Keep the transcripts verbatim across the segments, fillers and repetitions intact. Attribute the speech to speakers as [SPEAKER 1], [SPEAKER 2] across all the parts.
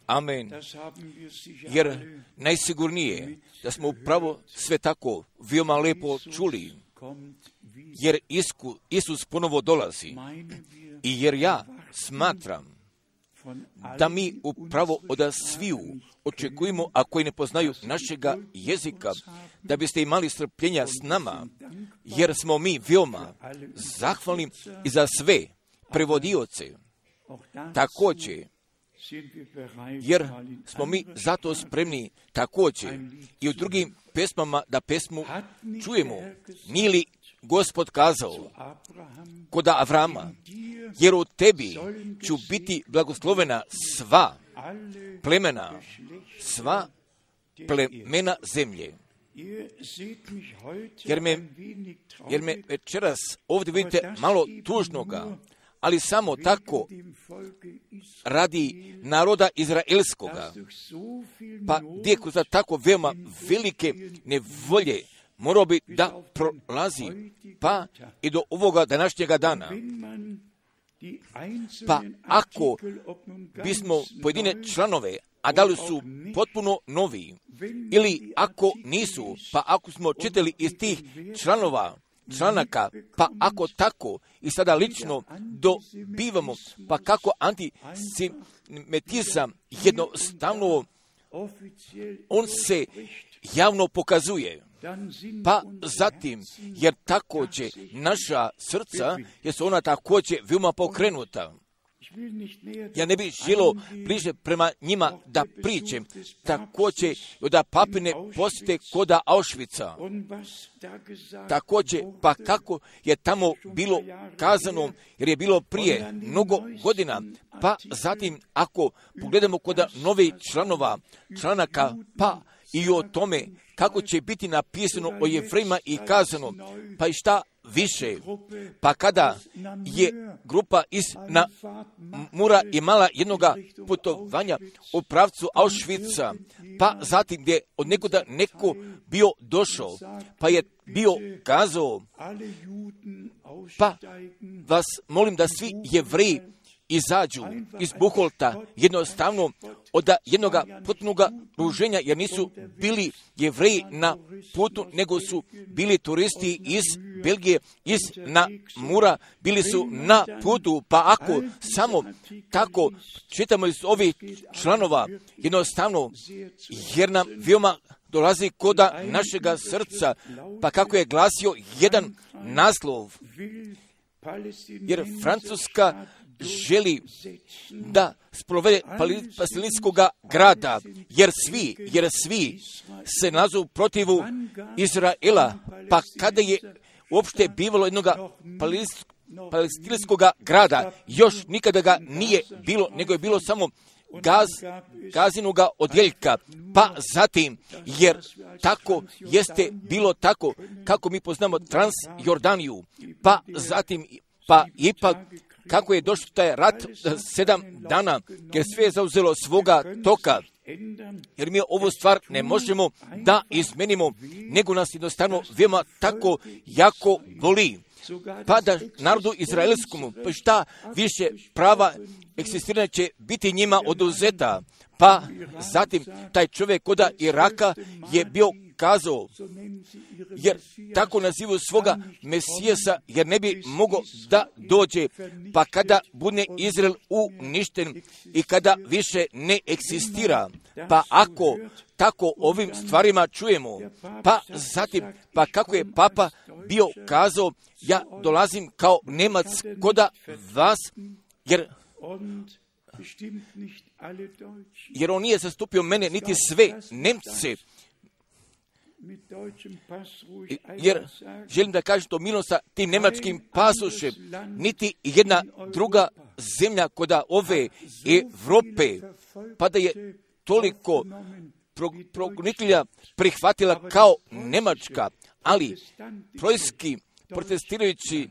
[SPEAKER 1] Amen. Jer najsigurnije da smo upravo sve tako veoma lepo čuli, jer Isku, Isus ponovo dolazi. I jer ja smatram da mi upravo od sviju očekujemo, a koji ne poznaju našega jezika, da biste imali strpljenja s nama, jer smo mi veoma zahvalni i za sve prevodioce. Također, jer smo mi zato spremni također i u drugim pesmama da pesmu čujemo. Nije li Gospod kazao kod Avrama, jer u tebi ću biti blagoslovena sva plemena, sva plemena zemlje. Jer me, jer me večeras ovdje vidite malo tužnoga, ali samo tako radi naroda izraelskoga, pa gdje za tako veoma velike nevolje morao bi da prolazi, pa i do ovoga današnjega dana. Pa ako bismo pojedine članove, a da li su potpuno novi, ili ako nisu, pa ako smo čitali iz tih članova, članaka, pa ako tako i sada lično dobivamo, pa kako antisemitizam jednostavno, on se javno pokazuje. Pa zatim, jer također naša srca, jer su ona također veoma pokrenuta. Ja ne bih želio bliže prema njima da pričam, također da papine posjete koda Auschwitza. Također, pa kako je tamo bilo kazano, jer je bilo prije mnogo godina, pa zatim ako pogledamo koda novih članova, članaka, pa i o tome kako će biti napisano o Jevrejima i kazano, pa i šta više, pa kada je grupa iz na Mura imala jednoga putovanja u pravcu Auschwitza, pa zatim gdje od nekoda neko bio došao, pa je bio kazao, pa vas molim da svi Jevreji izađu iz Buholta jednostavno od jednoga potpunoga ruženja, jer nisu bili Jevreji na putu, nego su bili turisti iz Belgije, iz Namura, bili su na putu, pa ako samo tako čitamo iz ovih članova, jednostavno, jer nam veoma dolazi koda našega srca, pa kako je glasio jedan naslov, jer Francuska želi da sprovede palestinskog grada, jer svi, jer svi se nazovu protivu Izraela, pa kada je uopšte bivalo jednog palestinskog grada, još nikada ga nije bilo, nego je bilo samo gaz, gazinoga odjeljka, pa zatim, jer tako jeste bilo tako, kako mi poznamo Transjordaniju, pa zatim, pa ipak, kako je došao taj rat sedam dana, jer sve je zauzelo svoga toka, jer mi ovu stvar ne možemo da izmenimo, nego nas jednostavno veoma tako jako boli. Pa da narodu izraelskom, pa šta više prava eksistiranja će biti njima oduzeta. Pa zatim taj čovjek koda Iraka je bio kazao, jer tako nazivu svoga Mesijesa, jer ne bi mogao da dođe, pa kada bude Izrael uništen i kada više ne eksistira, pa ako tako ovim stvarima čujemo, pa zatim, pa kako je Papa bio kazao, ja dolazim kao Nemac koda vas, jer jer on nije zastupio mene, niti sve Nemce, jer želim da kažem to milno sa tim nemačkim pasošem, niti jedna druga zemlja koda ove Evrope, pa da je toliko progonitelja prihvatila kao Nemačka, ali trojski protestirajući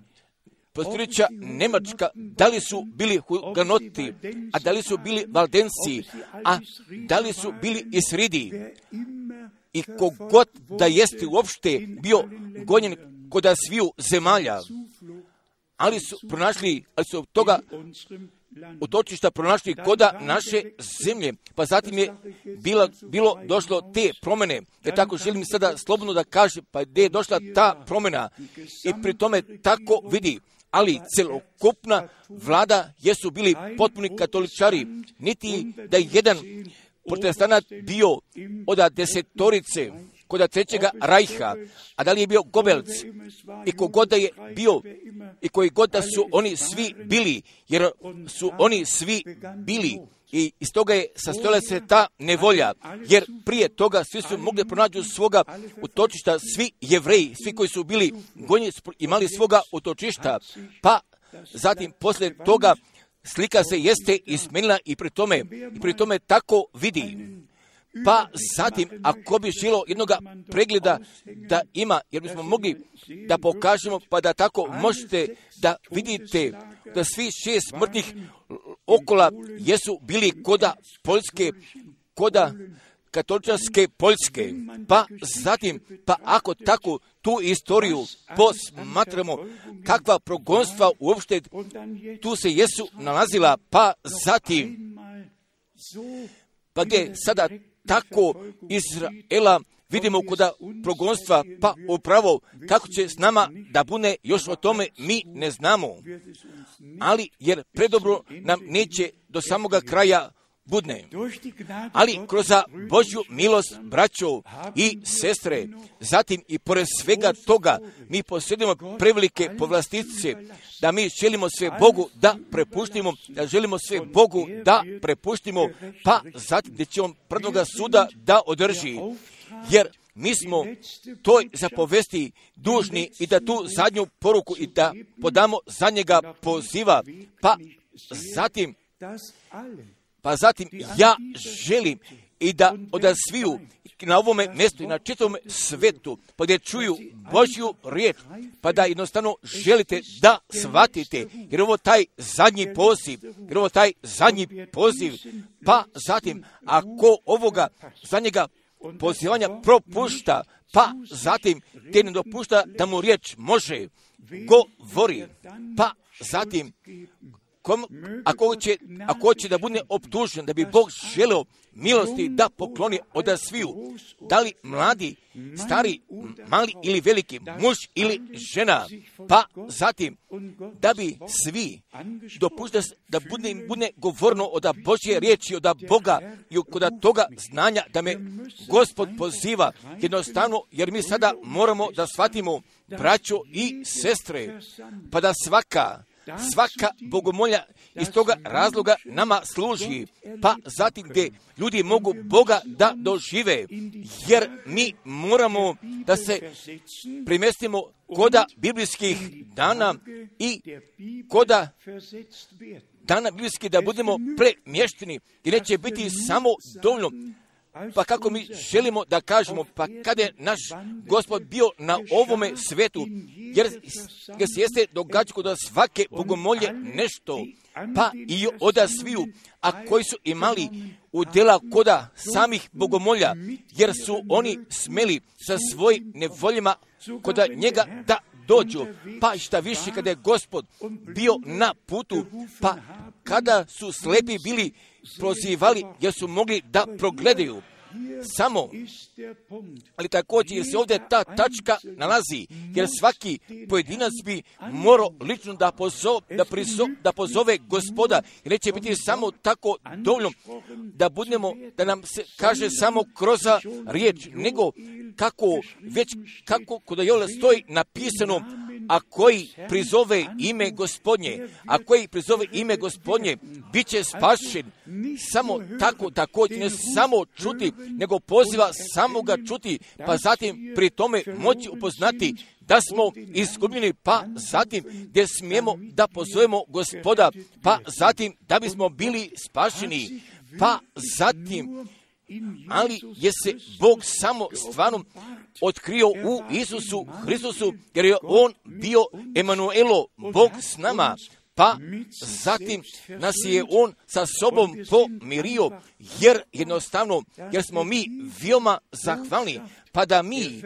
[SPEAKER 1] Postirića Nemačka, da li su bili huganoti, a da li su bili valdenci, a da li su bili isridi, i kogod da jeste uopšte bio gonjen kod sviju zemalja, ali su pronašli, ali su toga utočišta pronašli koda naše zemlje. Pa zatim je bila, bilo došlo te promjene. Jer tako želim sada slobodno da kažem, pa gdje je došla ta promjena. I pri tome tako vidi. Ali celokupna vlada jesu bili potpuni katoličari. Niti da je jedan protestanat bio od desetorice kod trećega rajha, a da li je bio Goebbels i kogod da je bio i koji god da su oni svi bili, jer su oni svi bili i iz toga je sastojala se ta nevolja, jer prije toga svi su mogli pronaći svoga utočišta, svi Jevreji, svi koji su bili gonjeni imali svoga utočišta, pa zatim poslije toga slika se jeste izmenila i pri tome, i pri tome tako vidi. Pa zatim, ako bi želo jednoga pregleda da ima, jer bismo mogli da pokažemo, pa da tako možete da vidite da svi šest smrtnih okola jesu bili koda Poljske, koda katoličanske Poljske. Pa zatim, pa ako tako tu istoriju posmatramo, kakva progonstva uopšte tu se jesu nalazila, pa zatim, pa gdje sada tako Izraela vidimo koda progonstva, pa upravo kako će s nama da bude, još o tome mi ne znamo. Ali jer predobro nam neće do samoga kraja budne. Ali kroz Božju milost, braćo i sestre, zatim i pored svega toga, mi posjedimo prevelike povlastice, da mi želimo sve Bogu da prepuštimo, da želimo sve Bogu da prepuštimo, pa zatim gdje će on prvnoga suda da održi. Jer mi smo toj zapovesti dužni i da tu zadnju poruku i da podamo zadnjega poziva, pa zatim Pa zatim ja želim i da od sviju na ovome mjestu i na čitavom svetu, pa gdje čuju Božju riječ, pa da jednostavno želite da shvatite, jer ovo taj zadnji poziv, jer ovo taj zadnji poziv, pa zatim ako ovoga zadnjega pozivanja propušta, pa zatim te ne dopušta da mu riječ može govori, pa zatim Kom, ako, će, ako će da bude optužen, da bi Bog želeo milosti da pokloni od sviju, da li mladi, stari, mali ili veliki, muž ili žena, pa zatim da bi svi dopušta da bude, bude govorno od Božje riječi, od Boga i kod toga znanja da me Gospod poziva jednostavno, jer mi sada moramo da shvatimo, braćo i sestre, pa da svaka Svaka bogomolja iz toga razloga nama služi, pa zatim gdje ljudi mogu Boga da dožive, jer mi moramo da se primestimo koda biblijskih dana i koda dana biblijskih da budemo premješteni i neće biti samo dovoljno. Pa kako mi želimo da kažemo, pa kada je naš Gospod bio na ovome svetu, jer, jer se jeste događalo da svake bogomolje nešto, pa i od sviju, a koji su imali udjela koda samih bogomolja, jer su oni smeli sa svojim nevoljima koda njega da dođu, pa šta više kada je Gospod bio na putu, pa kada su slepi bili prozivali jer su mogli da progledaju. Samo, ali također jer se ovdje ta tačka nalazi, jer svaki pojedinac bi morao lično da pozove, da, prizo, da pozove Gospoda, jer neće biti samo tako dovoljno da budemo, da nam se kaže samo kroz riječ, nego kako već, kako kod Joela stoji napisano, a koji prizove ime Gospodnje, a koji prizove ime Gospodnje, bit će spašen. Samo tako, također, ne samo čuti, nego poziva samoga čuti, pa zatim pri tome moći upoznati da smo izgubljeni, pa zatim gdje smijemo da pozovemo Gospoda, pa zatim da bismo bili spašeni, pa zatim, ali je se Bog samo stvarno otkrio u Isusu Hristusu, jer je On bio Emanuelo, Bog s nama, pa zatim nas je on sa sobom pomirio, jer jednostavno, jer smo mi veoma zahvalni, pa da mi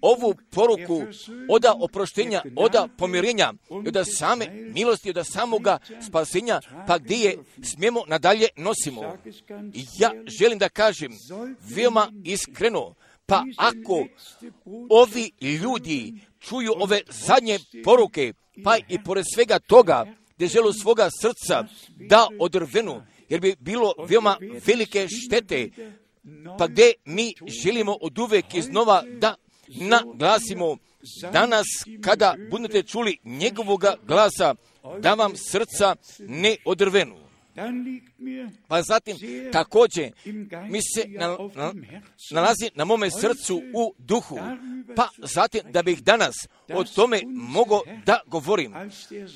[SPEAKER 1] ovu poruku oda oproštenja, oda pomirenja, oda same milosti, oda samoga spasenja, pa gdje je smijemo nadalje nosimo. Ja želim da kažem veoma iskreno, pa ako ovi ljudi čuju ove zadnje poruke, pa i pored svega toga, gdje žele svoga srca da odrvenu, jer bi bilo veoma velike štete, pa gdje mi želimo od uvek iznova da naglasimo danas kada budete čuli njegovoga glasa, da vam srca ne odrvenu. Pa zatim također mi se na, na, nalazi na mome srcu u duhu, pa zatim da bih danas o tome mogao da govorim.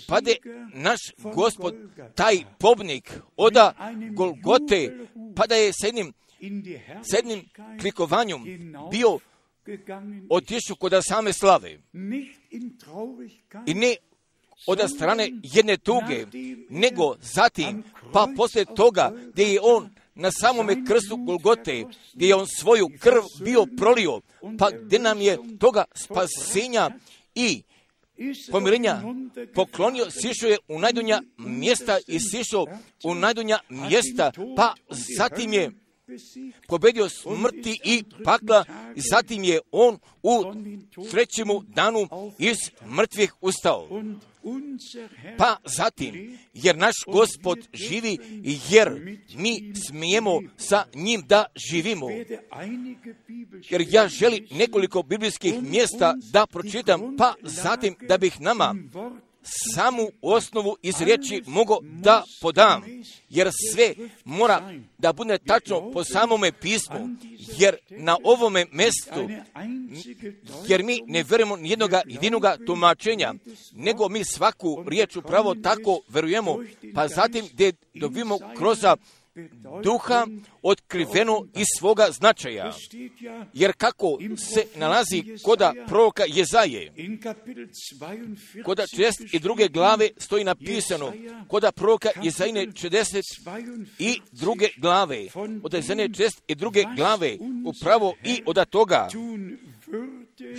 [SPEAKER 1] Pa da naš Gospod, taj pobnik oda Golgote, pa da je s jednim, s jednim klikovanjem bio otišao kod same slave. I ne od strane jedne tuge, nego zatim, pa poslije toga, gdje je on na samome krstu Golgote, gdje je on svoju krv bio prolio, pa gdje nam je toga spasenja i pomirenja poklonio, sišao je u najdonja mjesta i sišao u najdonja mjesta, pa zatim je pobedio smrti i pakla, i zatim je on u trećemu danu iz mrtvih ustao. Pa zatim, jer naš Gospod živi, jer mi smijemo sa njim da živimo. Jer ja želim nekoliko biblijskih mjesta da pročitam, pa zatim da bih nama samu osnovu iz riječi mogu da podam, jer sve mora da bude tačno po samome pismu, jer na ovome mjestu, jer mi ne vjerujemo jednoga jedinoga tumačenja, nego mi svaku riječ upravo tako vjerujemo, pa zatim gdje dobijemo kroz duha otkriveno iz svoga značaja. Jer kako se nalazi koda proroka Jezaje, koda četrdeset druge glave stoji napisano, koda proroka Jezajine četrdeset druge glave, od Jezajine četrdeset druge glave, upravo i od toga,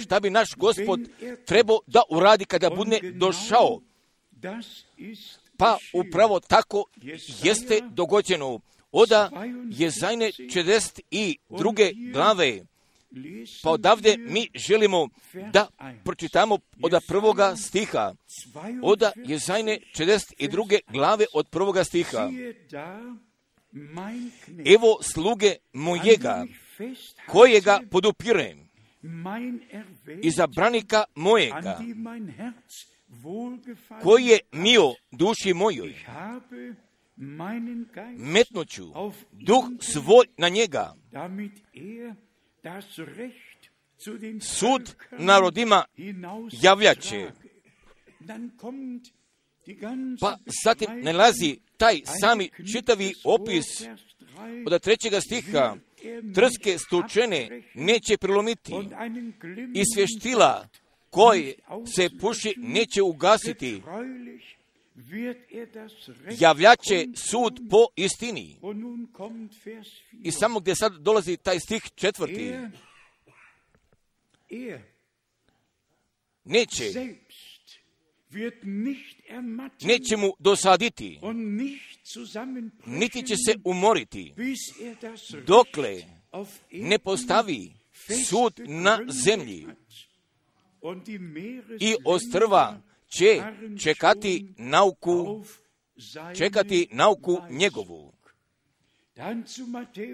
[SPEAKER 1] šta bi naš Gospod trebao da uradi kada bude došao. Pa upravo tako jeste dogođeno. Oda Jezajine četrdeset druge glave. Pa odavde mi želimo da pročitamo od prvoga stiha. Oda Jezajine četrdeset druge glave od prvoga stiha. Evo sluge mojega, kojega podupirem, izabranika mojega, koji je mio duši mojoj, metnuću duh svoj na njega, sud narodima javljaće. Pa zatim nalazi taj sami čitavi opis od trećega stiha. Trske stučene neće prilomiti i svještila koje se puši neće ugasiti. Javljaće sud po istini. I samo gdje sad dolazi taj stih četvrti. Neće. Neće mu dosaditi. Niti će se umoriti. Dokle ne postavi sud na zemlji. I ostrva će čekati nauku, čekati nauku njegovu.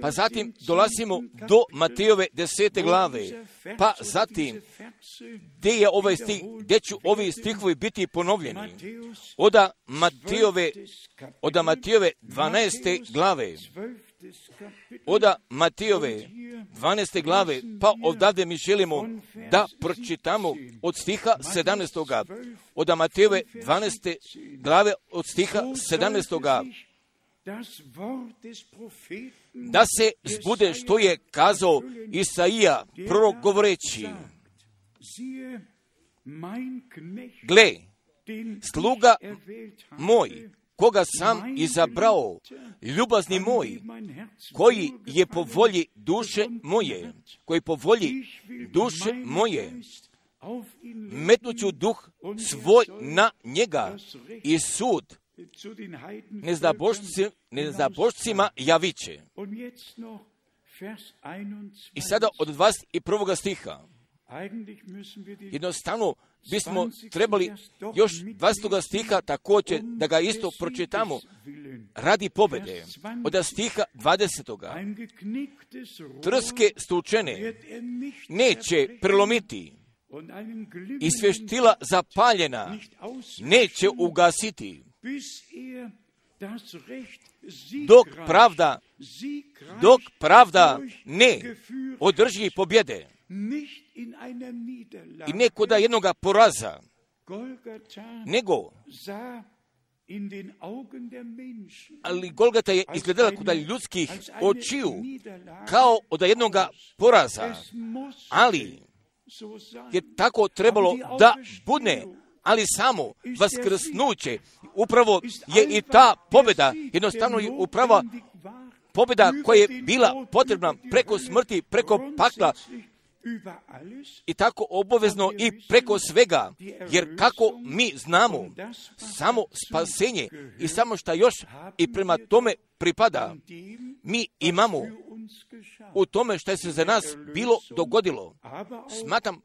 [SPEAKER 1] Pa zatim dolazimo do Matejove desete glave. Pa zatim, gdje je ovaj stih, gdje ću ovi stihovi biti ponovljeni? Oda Matejove, oda Matejove dvanaeste glave. Oda Matejove dvanaeste glave, pa odavde mi želimo da pročitamo od stiha sedamnaestoga. Oda Matejove dvanaeste glave od stiha sedamnaestoga. Da se zbude što je kazao Isaija, prorok govoreći: gle, sluga moj, koga sam izabrao, ljubazni moj, koji je po volji duše moje, koji po volji duše moje, metnuću duh svoj na njega i sud neznabošcima javiće. I sada od dvadeset prvog stiha, jednostavno bismo trebali još dvadesetog stiha također da ga isto pročitamo radi pobjede. Od stiha dvadesetog. Trske stučene neće prelomiti i svještila zapaljena neće ugasiti, dok pravda, dok pravda ne održi pobjede i ne koda jednoga poraza, nego ali Golgata je izgledala kod ljudskih očiju kao od jednoga poraza, ali je tako trebalo da bude, ali samo vaskrsnuće upravo je i ta pobjeda, jednostavno je upravo pobjeda koja je bila potrebna preko smrti, preko pakla i tako obavezno i preko svega, jer kako mi znamo, samo spasenje i samo šta još i prema tome pripada, mi imamo u tome što se za nas bilo dogodilo. Smatram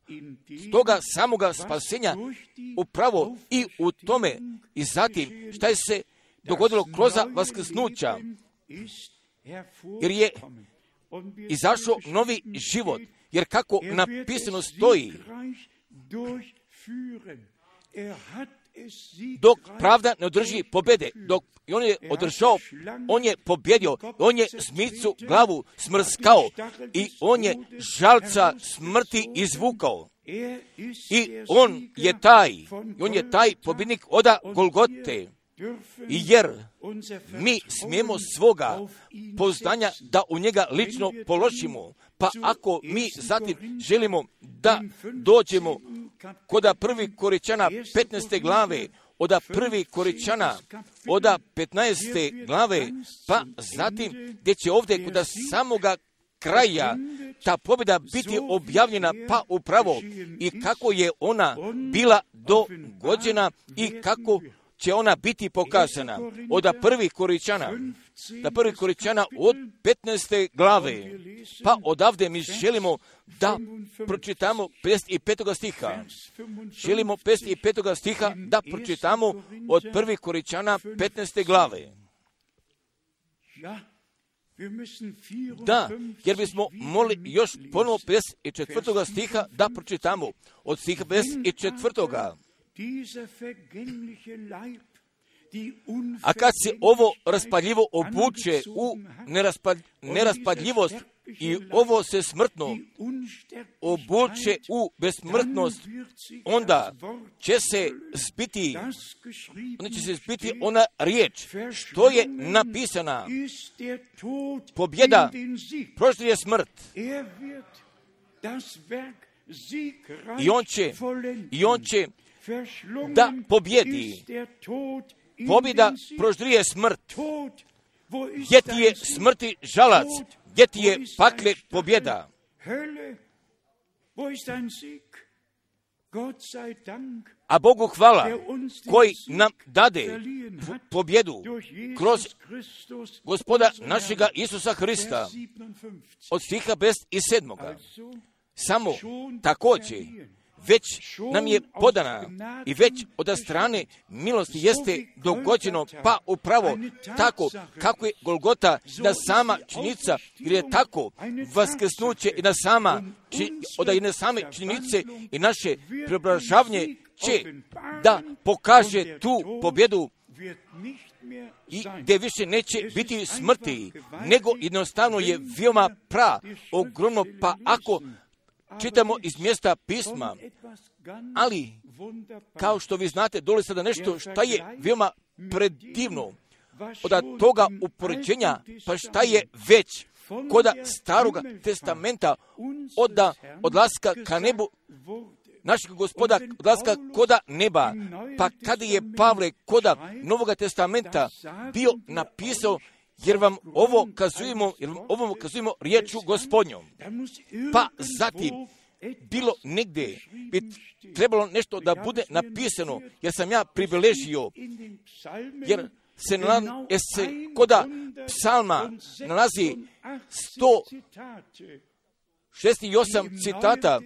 [SPEAKER 1] toga samoga spasenja upravo i u tome i zatim šta je se dogodilo kroz vaskrsnuća, jer je izašao novi život. Jer kako napisano stoji, dok pravda ne održi pobjede, dok on je održao, on je pobjedio, on je zmicu glavu smrskao i on je žalca smrti izvukao. I on je taj, on je taj pobjednik oda Golgote. Jer mi smijemo svoga poznanja da u njega lično položimo. Pa ako mi zatim želimo da dođemo koda prvi Koričana petnaeste glave, oda prvi Koričana, oda petnaeste glave, pa zatim gdje će ovdje koda samoga kraja ta pobjeda biti objavljena, pa upravo i kako je ona bila dogođena i kako će ona biti pokazana. Od prvi Koričana, da prvi Koričana od petnaeste glave, pa odavde mi želimo da pročitamo pedeset petog stiha. Želimo pedeset petog stiha da pročitamo od prvi Koričana petnaeste glave. Da, jer bismo molili još ponovo pedeset četvrtog stiha da pročitamo od stiha pedeset četvrtog. A kad se ovo raspadljivo obuče u neraspad, neraspadljivost i ovo se smrtno obuče u besmrtnost, onda će se zbiti, onda će se zbiti ona riječ što je napisana. Pobjeda proždire smrt. I on će, i on će da pobjedi. Pobjeda proždrije smrt. Gdje ti je smrti žalac? Gdje ti je pakle pobjeda? A Bogu hvala koji nam dade pobjedu kroz Gospoda našega Isusa Hrista. Od stiha pedeset sedam. Samo također već nam je podana i već od strane milosti jeste dogođeno, pa upravo tako kako je Golgota da sama činjenica, jer je tako vaskrsnuće i da sama od jedne same činjenice i naše preobražavanje će da pokaže tu pobjedu i gdje više neće biti smrti, nego jednostavno je veoma pra, ogromno, pa ako čitamo iz mjesta pisma, ali kao što vi znate, dole sada nešto šta je veoma predivno od toga upoređenja, pa šta je već koda Staroga testamenta od odlaska ka nebu našeg Gospoda odlaska koda neba. Pa kada je Pavle koda Novoga testamenta bio napisao, jer vam ovo kazujemo, jer vam ovo kazujemo riječu Gospodnjom. Pa zatim bilo negdje bi trebalo nešto da bude napisano, jer sam ja pribeležio, jer se, nala, jer se koda psalma nalazi sto šezdeset osam citata,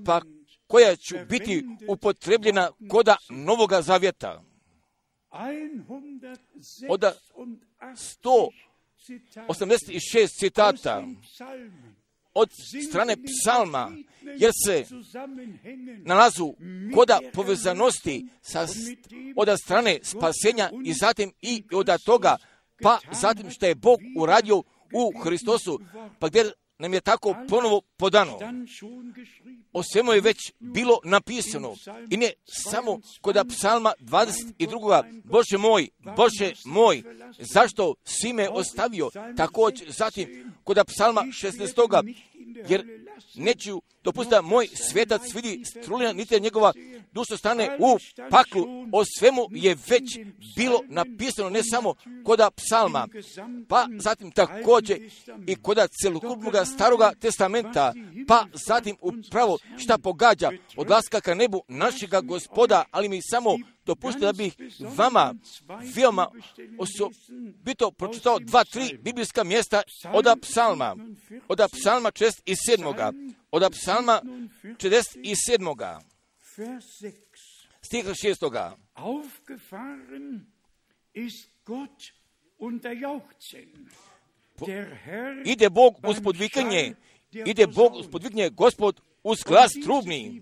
[SPEAKER 1] pa koja će biti upotrebljena koda Novoga Zavjeta. Od sto osamdeset šest citata od strane psalma, jer se nalazu koda povezanosti sa, od strane spasenja i zatim i od toga, pa zatim što je Bog uradio u Hristosu, pa gdje nam je tako ponovo podano. O svemu je već bilo napisano. I ne samo kod psalma dvadeset dva. Bože moj, Bože moj, zašto si me ostavio? Također zatim kod psalma šesnaest. Jer neću dopustiti da moj svetac vidi strulina, niti njegova duša stane u paklu. O svemu je već bilo napisano, ne samo kod psalma, pa zatim također i kod celokupnog staroga testamenta, pa zatim upravo šta pogađa odlaska ka nebu našega Gospoda, ali mi samo dopustite da bih vama veoma osobito pročitao dva, tri biblijska mjesta od psalma, od psalma četrdeset sedam. Od psalma četrdeset sedam. Stih šestoga. Ide Bog uz podvikanje, ide Bog uz podvikanje, Gospod uz glas trubni.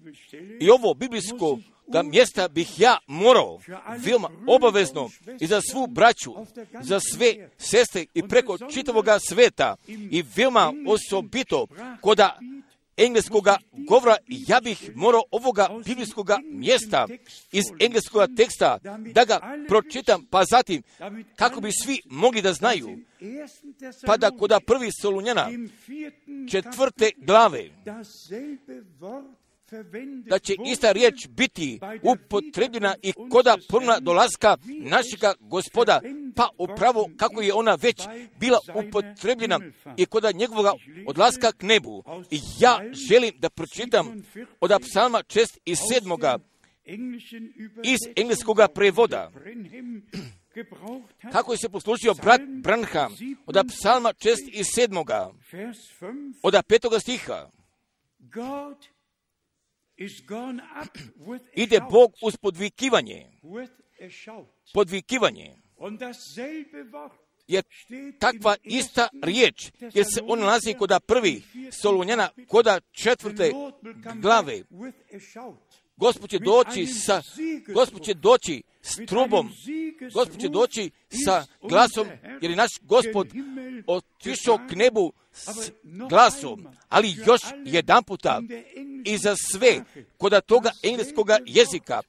[SPEAKER 1] I ovo biblijsko ga mjesta bih ja morao veoma obavezno i za svu braću, za sve sestre i preko čitavoga sveta i veoma osobito koda engleskoga govora, ja bih morao ovoga biblijskoga mjesta iz engleskoga teksta da ga pročitam, pa zatim kako bi svi mogli da znaju, pa da koda prvi Solunjana četvrte glave, da će ista riječ biti upotrebljena i koda ponovna dolaska našega Gospoda, pa upravo kako je ona već bila upotrebljena i koda njegovog odlaska k nebu. I ja želim da pročitam od psalma četrdeset sedam. iz engleskog prevoda. Kako je se poslužio brat Branham od psalma četrdeset sedam. od petoga stiha. Ide Bog uz podvikivanje. Podvikivanje. Je takva ista riječ, jer se on nalazi koda prvi Solunjana, koda četvrte glave. Gospod će doći sa, Gospod će doći s trubom, Gospod će doći sa glasom, jer je naš Gospod otišao k nebu s glasom, ali još jedan puta i za sve koda toga engleskoga jezika,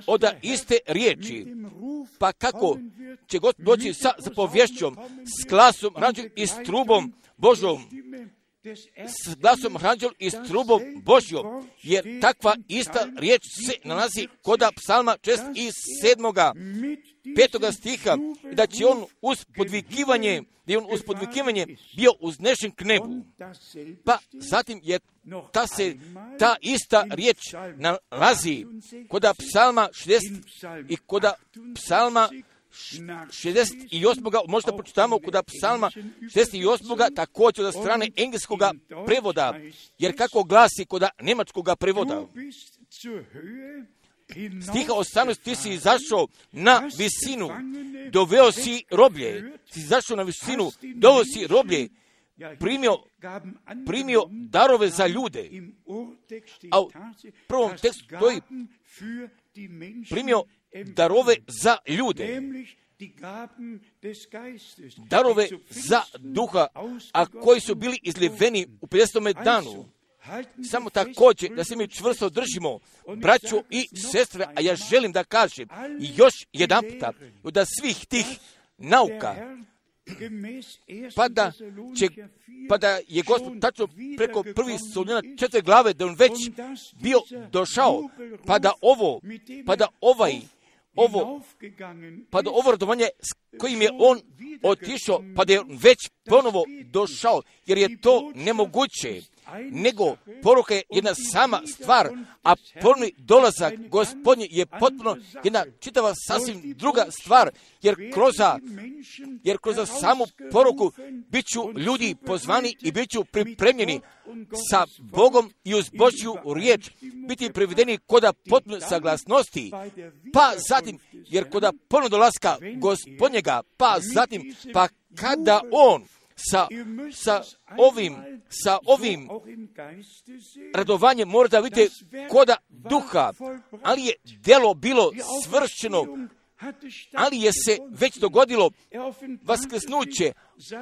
[SPEAKER 1] od iste riječi, pa kako će Gospod doći sa zapovješćom, s glasom ranđel i s trubom Božom, s glasom ranđel i s trubom Božjom, jer takva ista riječ se nalazi koda psalma četrdeset sedam. petoga stiha, da će on uz podvikivanje, da je on uz podvikivanje bio uznešen k nebu. Pa zatim je ta se ta ista riječ nalazi koda psalma šezdeset i koda psalma šezdeset osam. Možda počitamo koda psalma šezdeset osam. također od strane engleskog prevoda, jer kako glasi koda njemačkog prevoda. Stiha osamnaest, ti si izašao na visinu, doveo si roblje, si izašao na visinu, doveo si roblje, primio, primio darove za ljude. A u prvom tekstu stoji primio darove za ljude. Darove za duha, a koji su bili izliveni u pedesetom danu. Samo također da se mi čvrsto držimo, braćo i sestre, a ja želim da kažem i još jedan puta, da svih tih nauka pa da, će, pa da je Gospod tačno preko prvi Solunjana četiri glave, da on već bio došao, pa da ovo, pa da ovaj, ovo, pa da ovo radovanje s kojim je on otišao, pa da je već ponovo došao, jer je to nemoguće, nego poruka je jedna sama stvar, a ponovni dolazak Gospodnji je potpuno jedna čitava sasvim druga stvar, jer kroz, jer kroz samu poruku bit ću ljudi pozvani i bit ću pripremljeni sa Bogom i uz Božju riječ, biti privedeni koda potpune saglasnosti, pa zatim, jer koda ponovno dolaska Gospodnjega, pa zatim, pa kada on sa, sa ovim, sa ovim radovanjem mora da vidite koda duha, ali je djelo bilo svršeno, ali je se već dogodilo vaskrsnuće,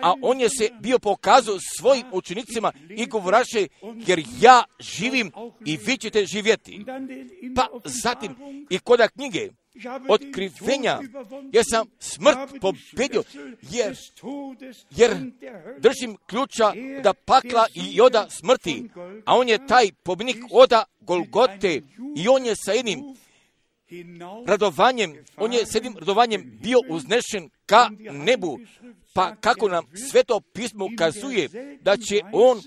[SPEAKER 1] a on je se bio pokazao svojim učenicima i govoraše, jer ja živim i vi ćete živjeti. Pa zatim i koda knjige Otkrivenja, jer sam smrt pobedio, jer, jer držim ključa da pakla i oda smrti, a on je taj pobjednik oda Golgote i on je sa jednim radovanjem, on je s jednim radovanjem bio uznešen ka nebu, pa kako nam Sveto pismo kazuje da će on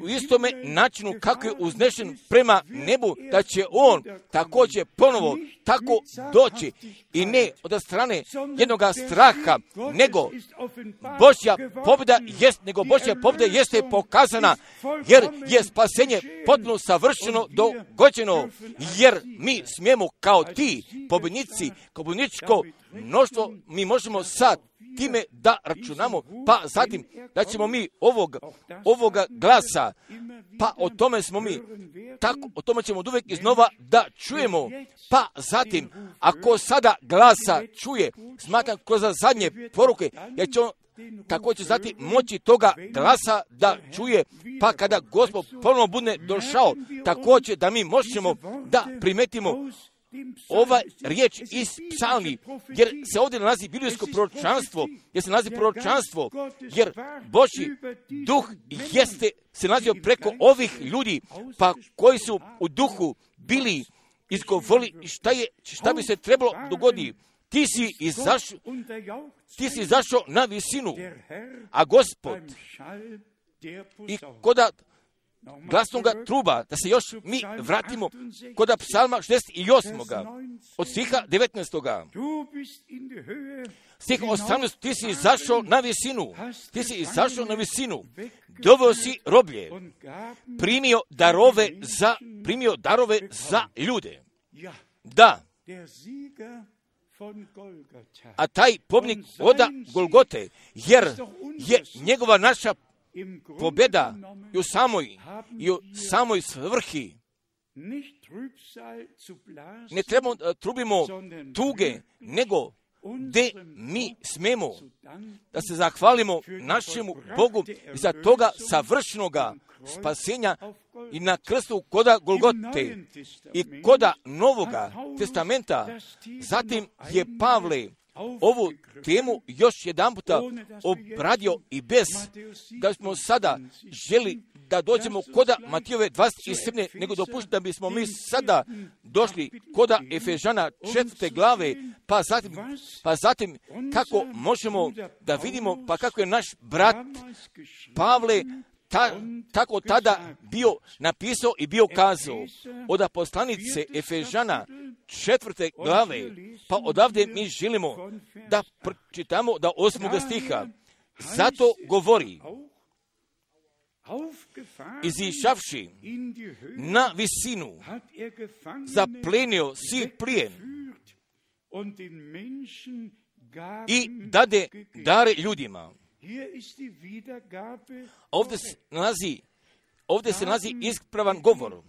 [SPEAKER 1] u istome načinu kako je uznešen prema nebu, da će on također ponovo tako doći i ne od strane jednoga straha, nego Božja pobjeda jest, nego Božja pobjeda jeste pokazana, jer je spasenje potpuno savršeno dogođeno, jer mi smijemo kao ti pobjednici, kao pobjedničko mnoštvo, mi možemo sad time da računamo, pa zatim da ćemo mi ovog, ovoga glasa, pa o tome smo mi, tako, o tome ćemo uvijek iznova da čujemo, pa zatim, ako sada glasa čuje, smatram kroz zadnje poruke, jer će on također zatim moći toga glasa da čuje, pa kada Gospod ponovno bude došao, također da mi možemo da primetimo ova riječ iz psalmi, jer se ovdje nalazi biblijsko proročanstvo, jer se nalazi proročanstvo, jer Božji duh jeste se nalazio preko ovih ljudi, pa koji su u duhu bili izgovorili šta, je, šta bi se trebalo dogoditi. Ti si izašao, ti si izašao na visinu, a Gospod i koda glasnoga truba, da se još mi vratimo kod psalma šezdeset osam. od stiha devetnaestog. Stih osamnaest. Ti si izašao na visinu, ti si izašao na visinu, doveo si roblje, primio darove za, primio darove za ljude. Da, a taj pobjednik oda Golgote, jer je njegova naša pobjeda i u samoj, i u samoj svrhi. Ne trebamo da trubimo tuge, nego gdje mi smemo da se zahvalimo našemu Bogu za toga savršenoga spasenja i na krstu koda Golgote i koda Novoga testamenta. Zatim je Pavle ovu temu još jedan puta obradio i bez da smo sada želi da dođemo koda Matijove dvadeset sedme, nego dopušti da bismo mi sada došli koda Efežana četvrte glave, pa zatim, pa zatim kako možemo da vidimo, pa kako je naš brat Pavle Ta, tako tada bio napisao i bio kazao od poslanice Efežana četvrte glave, pa odavde mi želimo da pročitamo da osmoga stiha. Zato govori, izišavši na visinu, zaplenio si plijen i dade dare ljudima. Ovdje se nalazi, ovdje se nalazi ispravan govor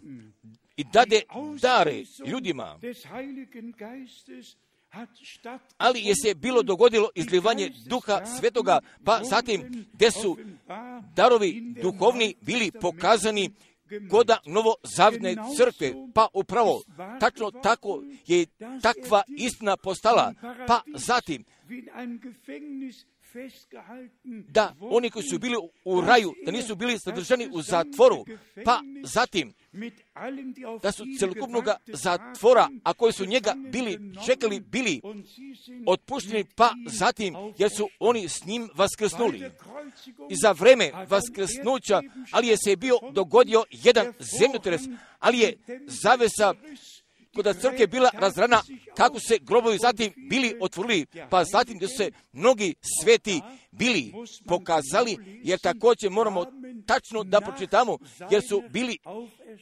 [SPEAKER 1] i dade dare ljudima, ali je se bilo dogodilo izlivanje Duha Svetoga, pa zatim gdje su darovi duhovni bili pokazani koda novozavjetne crkve, pa upravo tačno tako je takva istina postala, pa zatim da oni koji su bili u raju, da nisu bili zadržani u zatvoru, pa zatim da su celokupnog zatvora, a koji su njega bili čekali, bili otpušteni, pa zatim jer su oni s njim vaskrsnuli. I za vreme vaskrsnuća, ali je se bio dogodio jedan zemljotres, ali je zavesa kada crkve bila razrana, kako se grobovi zatim bili otvorili, pa zatim da su se mnogi sveti bili pokazali, jer također moramo tačno da pročitamo, jer su bili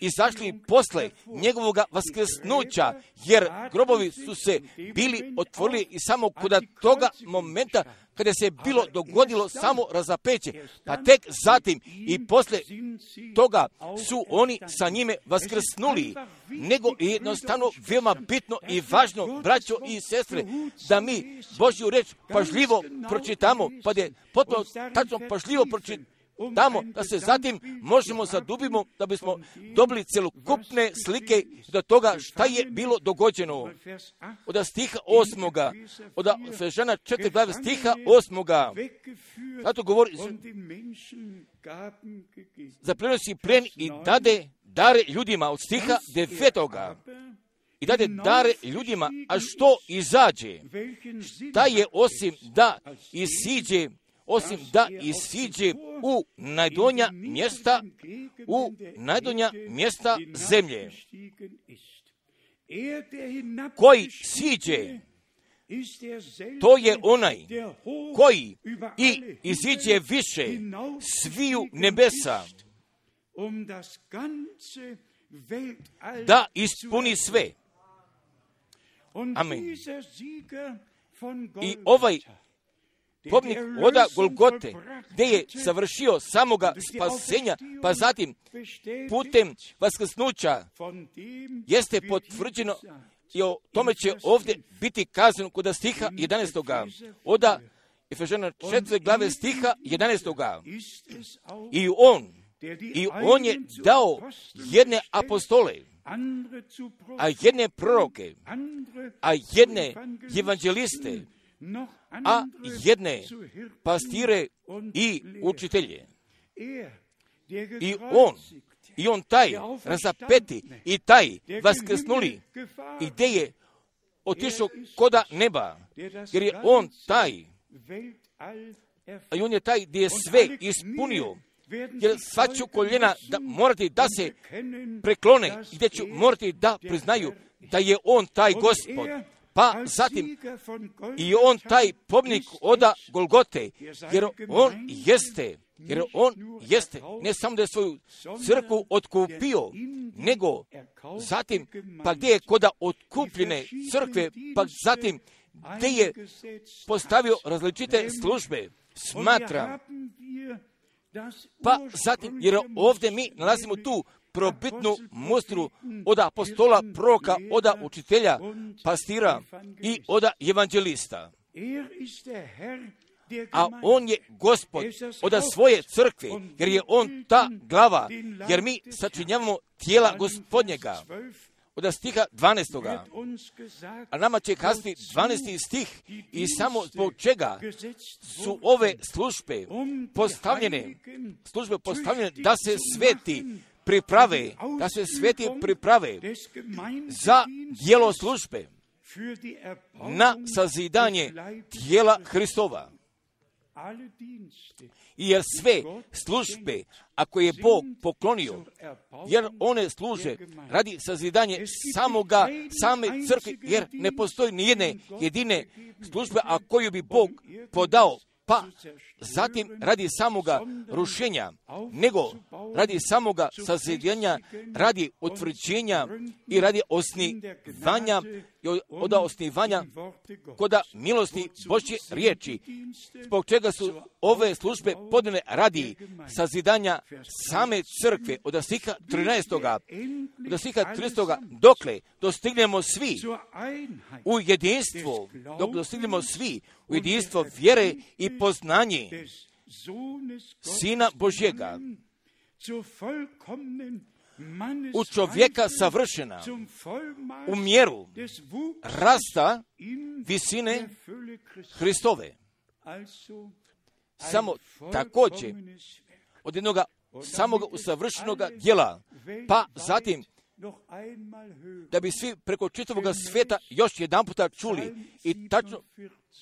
[SPEAKER 1] izašli posle njegovog vaskrsnuća, jer grobovi su se bili otvorili i samo kod toga momenta kada se bilo dogodilo samo razapeće, pa tek zatim i posle toga su oni sa njime vaskrsnuli, nego jednostavno veoma bitno i važno, braćo i sestre, da mi Božju reč pažljivo pročitamo, pa da je potpuno tačno pažljivo pročitamo, tamo da se zatim možemo zadubimo, da bismo dobili celokupne slike do toga šta je bilo dogođeno. Od stiha osmoga, od Efežana četiri glave stiha osmoga, zato govori, zaplenosi plen i dade dare ljudima, od stiha devetoga. I dade dare ljudima, a što izađe? Šta je osim da isiđe, osim da isiđe u najdonja mjesta, u najdonja mjesta zemlje. Koji siđe, to je onaj koji i iziđe više sviju nebesa, da ispuni sve. Amen. I ovaj pobnik oda Golgote, gdje je savršio samoga spasenja, pa zatim putem vaskrsnuća jeste potvrđeno, i o tome će ovdje biti kazano kod stiha jedanaestoga. Oda Efežana četiri glave stiha jedanaestoga. I on, i on je dao jedne apostole, a jedne proroke, a jedne evanđeliste, a jedne pastire i učitelje. I on, i on taj razapeti i taj vaskrsnuli, i gdje je otišao koda neba, jer je on taj, i on je taj gdje je sve ispunio, jer sva ću koljena da morati da se preklone, gdje ću morati da priznaju da je on taj Gospod. Pa zatim i on taj pobnik oda Golgote, jer on jeste, jer on jeste, ne samo da je svoju crkvu otkupio, nego zatim, pa gdje je koda otkupljene crkve, pa zatim gdje je postavio različite službe, smatram. Pa zatim, jer ovdje mi nalazimo tu probitnu mustru od apostola, proroka, od učitelja, pastira i od evanđelista. A on je Gospod od svoje crkve, jer je on ta glava, jer mi sačinjavamo tijela Gospodnjega. Od stiha dvanaestoga. A nama će kazati dvanaesti stih, i samo zbog čega su ove službe postavljene, službe postavljene da se sveti priprave, da se sveti priprave za djelo službe, na sazidanje tijela Hristova. I jer sve službe, ako je Bog poklonio, jer one služe radi sazidanje samoga, same crkve, jer ne postoji ni jedne jedine službe, a koju bi Bog podao, pa zatim radi samoga rušenja, nego radi samoga sazidanja, radi utvrđenja i radi osnivanja, od osnivanja koda milosti Božje riječi, zbog čega su ove službe podane radi sazidanja same crkve. Od stiha trinaestoga. Od stiha trinaestoga, dokle dostignemo svi u jedinstvo, dok dostignemo svi u jedinstvo vjere i poznanje Sina Božjega, u čovjeka savršena, u mjeru rasta visine Hristove. samo također od jednog samog usavršenog djela, pa zatim da bi svi preko čitavog svijeta još jedan puta čuli i tačno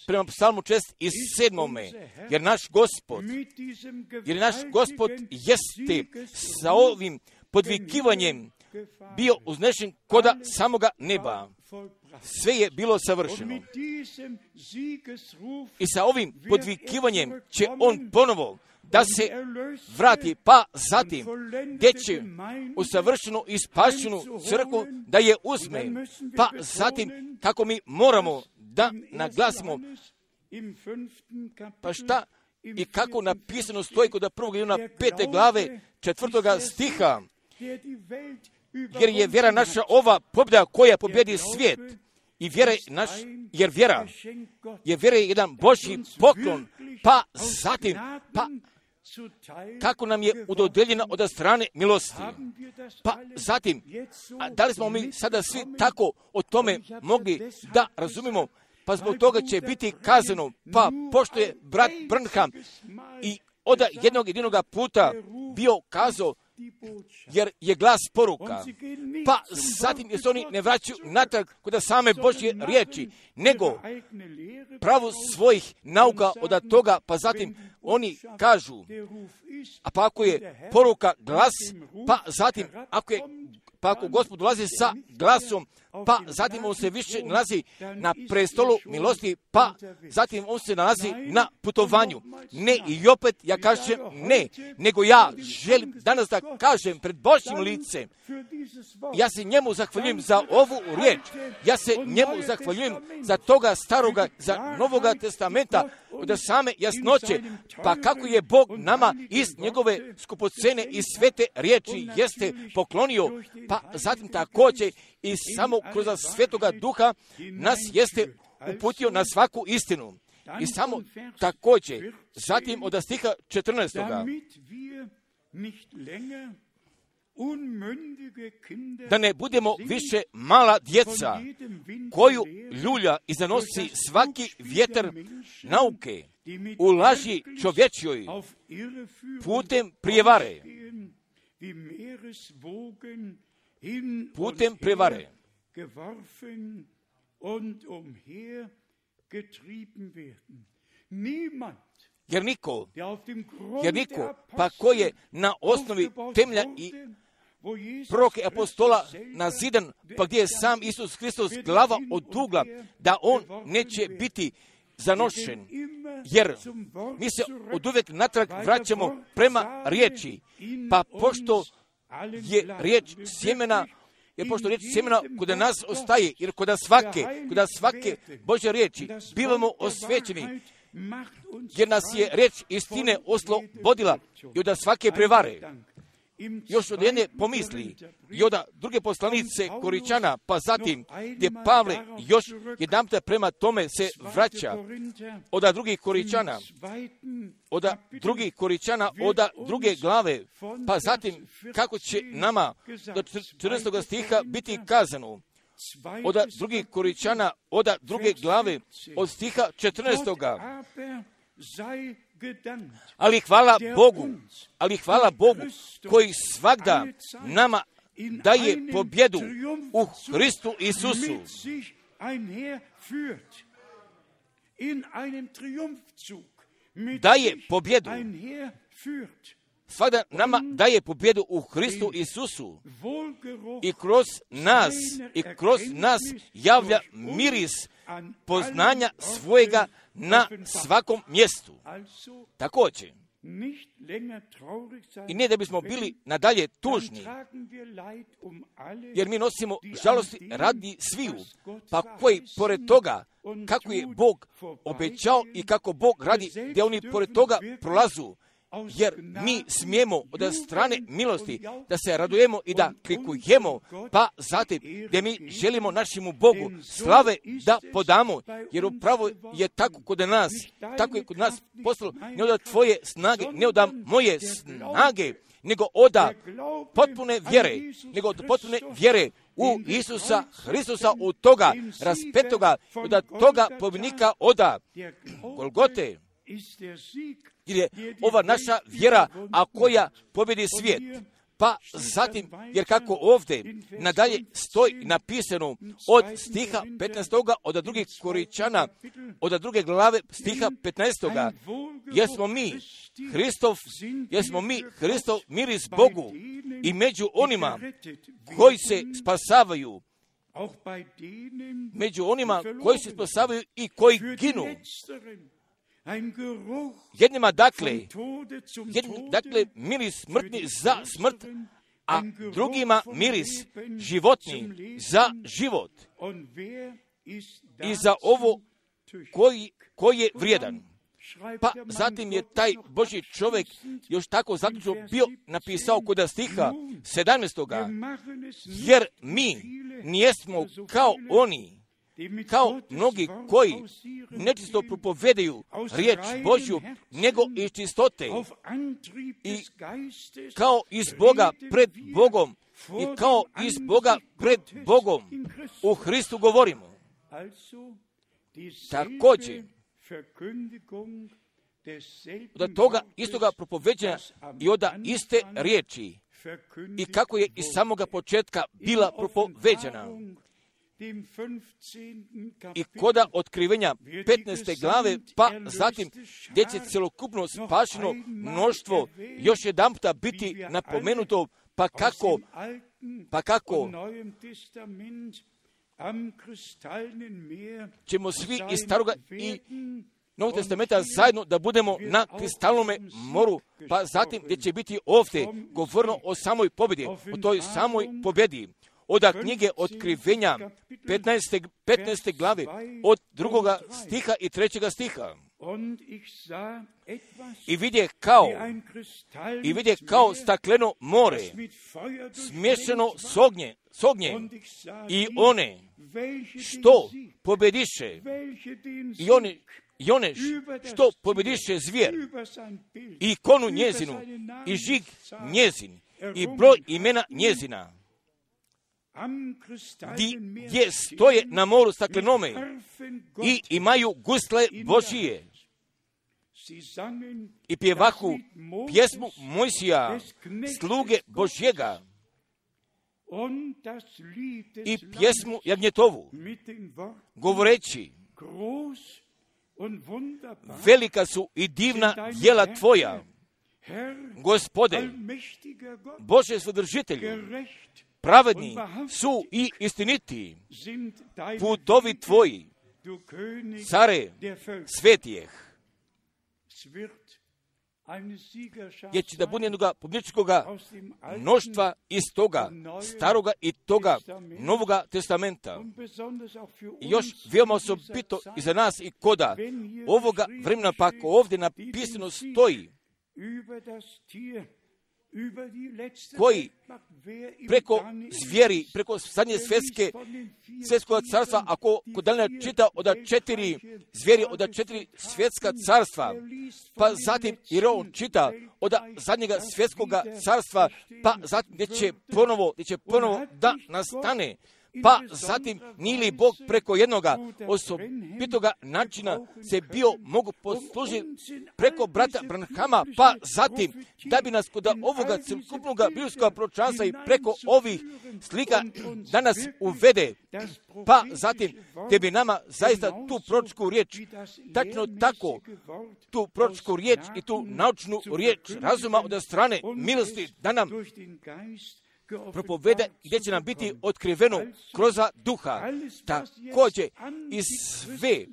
[SPEAKER 1] prema psalmu četrdeset sedmome, jer naš Gospod, jer naš Gospod jeste sa ovim podvikivanjem bio uznešen koda samoga neba. Sve je bilo savršeno. I sa ovim podvikivanjem će on ponovo da se vrati, pa zatim gdje će u savršenu i spašenu crkvu da je uzme, pa zatim kako mi moramo da naglasimo, pa šta i kako napisano stoji kod prvog Ivana pete glave četvrtoga stiha, jer je vjera naša ova pobjeda koja pobjedi svijet. I vjera naš, jer vjera je vjera je jedan Božji poklon, pa zatim, pa kako nam je udodeljena od strane milosti. Pa zatim, a da li smo mi sada svi tako o tome mogli da razumimo, pa zbog toga će biti kazano, pa pošto je brat Branham i od jednog jedinog puta bio kazao, jer je glas poruka, pa zatim jer se oni ne vraćaju natrag kod same Božje riječi, nego pravo svojih nauka od toga, pa zatim oni kažu, a pa ako je poruka glas, pa zatim ako je pa ako Gospod dolazi sa glasom, pa zatim on se više nalazi na prestolu milosti, pa zatim on se nalazi na putovanju. Ne, i opet ja kažem ne, nego ja želim danas da kažem pred Božjim licem, ja se njemu zahvaljujem za ovu riječ, ja se njemu zahvaljujem za toga staroga, za Novoga testamenta, od same jasnoće, pa kako je Bog nama iz njegove skupocene i svete riječi jeste poklonio, pa zatim također i samo kroz Svetoga Duha nas jeste uputio na svaku istinu. I samo također, zatim od stiha četrnaestoga da ne budemo više mala djeca koju ljulja i zanosi svaki vjetar nauke u laži čovječjoj putem prijevare. Putem prevare. Jer niko, jer niko, pa ko je na osnovi temelja i proroke apostola nazidan, pa gdje je sam Isus Hristos glava od ugla, da on neće biti zanošen, jer mi se oduvijek natrag vraćamo prema riječi, pa pošto je riječ sjemena, jer pošto riječ sjemena kod nas ostaje, jer kod svake, kod svake Božje riječi bivamo osvećeni, jer nas je riječ istine oslobodila i od svake prevare. Još od jedne pomisli i od druge poslanice Koričana, pa zatim gdje Pavle još jedanput prema tome se vraća od drugih Koričana, od drugih Koričana, od druge glave, pa zatim kako će nama do četrnaestog stiha biti kazano, od drugih Koričana, od druge glave, od stiha četrnaestoga. Ali hvala Bogu, ali hvala Bogu koji svagda nama daje pobjedu u Hristu Isusu. Daje pobjedu. Svagda nama daje pobjedu u Hristu Isusu. I kroz nas, i kroz nas javlja miris poznanja svojega na svakom mjestu. Također, i ne da bismo bili nadalje tužni, jer mi nosimo žalosti radi sviju, pa koji pored toga, kako je Bog obećao i kako Bog radi, gdje oni pored toga prolazu, jer mi smijemo od strane milosti da se radujemo i da klikujemo, pa zatim gdje mi želimo našemu Bogu slave da podamo, jer upravo je tako kod nas, tako je kod nas postalo, ne od tvoje snage, ne od moje snage, nego od potpune vjere, nego od potpune vjere u Isusa Hristusa, od toga raspetoga, od toga pobjednika od Golgote. jer je ova naša vjera, a koja pobjedi svijet. Pa zatim, jer kako ovdje nadalje stoji napisano od stiha petnaestoga od drugih Koričana, od druge glave stiha petnaestoga, jer smo mi Hristov, jer smo mi Hristov miris Bogu i među onima koji se spasavaju, među onima koji se spasavaju i koji ginu. Jednima dakle, jednima, dakle miris smrtni za smrt, a drugima miris životni za život. I za ovo koji, koji je vrijedan. Pa zatim je taj Božji čovjek još tako zaključno bio napisao kod stiha sedamnaestoga, jer mi nijesmo kao oni, kao mnogi koji nečisto propovedaju riječ Božju, nego iz čistote i kao iz Boga pred Bogom i kao iz Boga pred Bogom u Hristu govorimo. Također, od toga istoga propoveđenja i od iste riječi i kako je iz samoga početka bila propoveđena. I koda otkrivenja petnaeste glave, pa zatim gdje će celokupno spašeno mnoštvo još jedan puta biti napomenuto, pa kako, pa kako ćemo svi iz Staroga i Novog testamenta zajedno da budemo na kristalnome moru, pa zatim gdje će biti ovdje govorno o samoj pobjedi, o toj samoj pobjedi. Od knjige otkrivenja petnaeste, petnaeste glave, od drugoga stiha i trećega stiha. I vidje kao, i vidje kao stakleno more, smješano s ognje, s ognjem, i one što pobjediše, i one, i one što pobjediše zvijer, i ikonu njezinu, i žig njezin, i broj imena njezina, gdje stoje na moru staklenome i imaju gusle Božije i pjevahu pjesmu Mojsija, sluge Božjega, i pjesmu Jagnjetovu, govoreći: velika su i divna djela Tvoja, Gospode, Bože svodržitelju, pravedni su i istiniti putovi Tvoji, care svetijeh. Jer će da bude jednoga pobjedničkoga mnoštva iz toga staroga i toga novoga testamenta. I još veoma osobito i za nas i koda ovoga vremena, pa ako ovdje napisano stoji, koji preko zvijeri, preko zadnje svjetske, svjetskog carstva, ako kod Daniela čita od četiri zvijeri, od četiri svjetska carstva, pa zatim jer on čita od zadnjega svjetskog carstva, pa zatim gdje će ponovo, gdje će ponovo da nastane, pa zatim nije li Bog preko jednoga osobitoga načina se bio mogu poslužiti preko brata Branhama, pa zatim da bi nas kod ovoga celokupnog biblijskog proročanstva i preko ovih slika danas uvede, pa zatim te bi nama zaista tu proročku riječ, tačno tako, tu proročku riječ i tu naučnu riječ razuma od strane milosti da nam propovede gdje će nam biti otkriveno kroz duha. Također i sve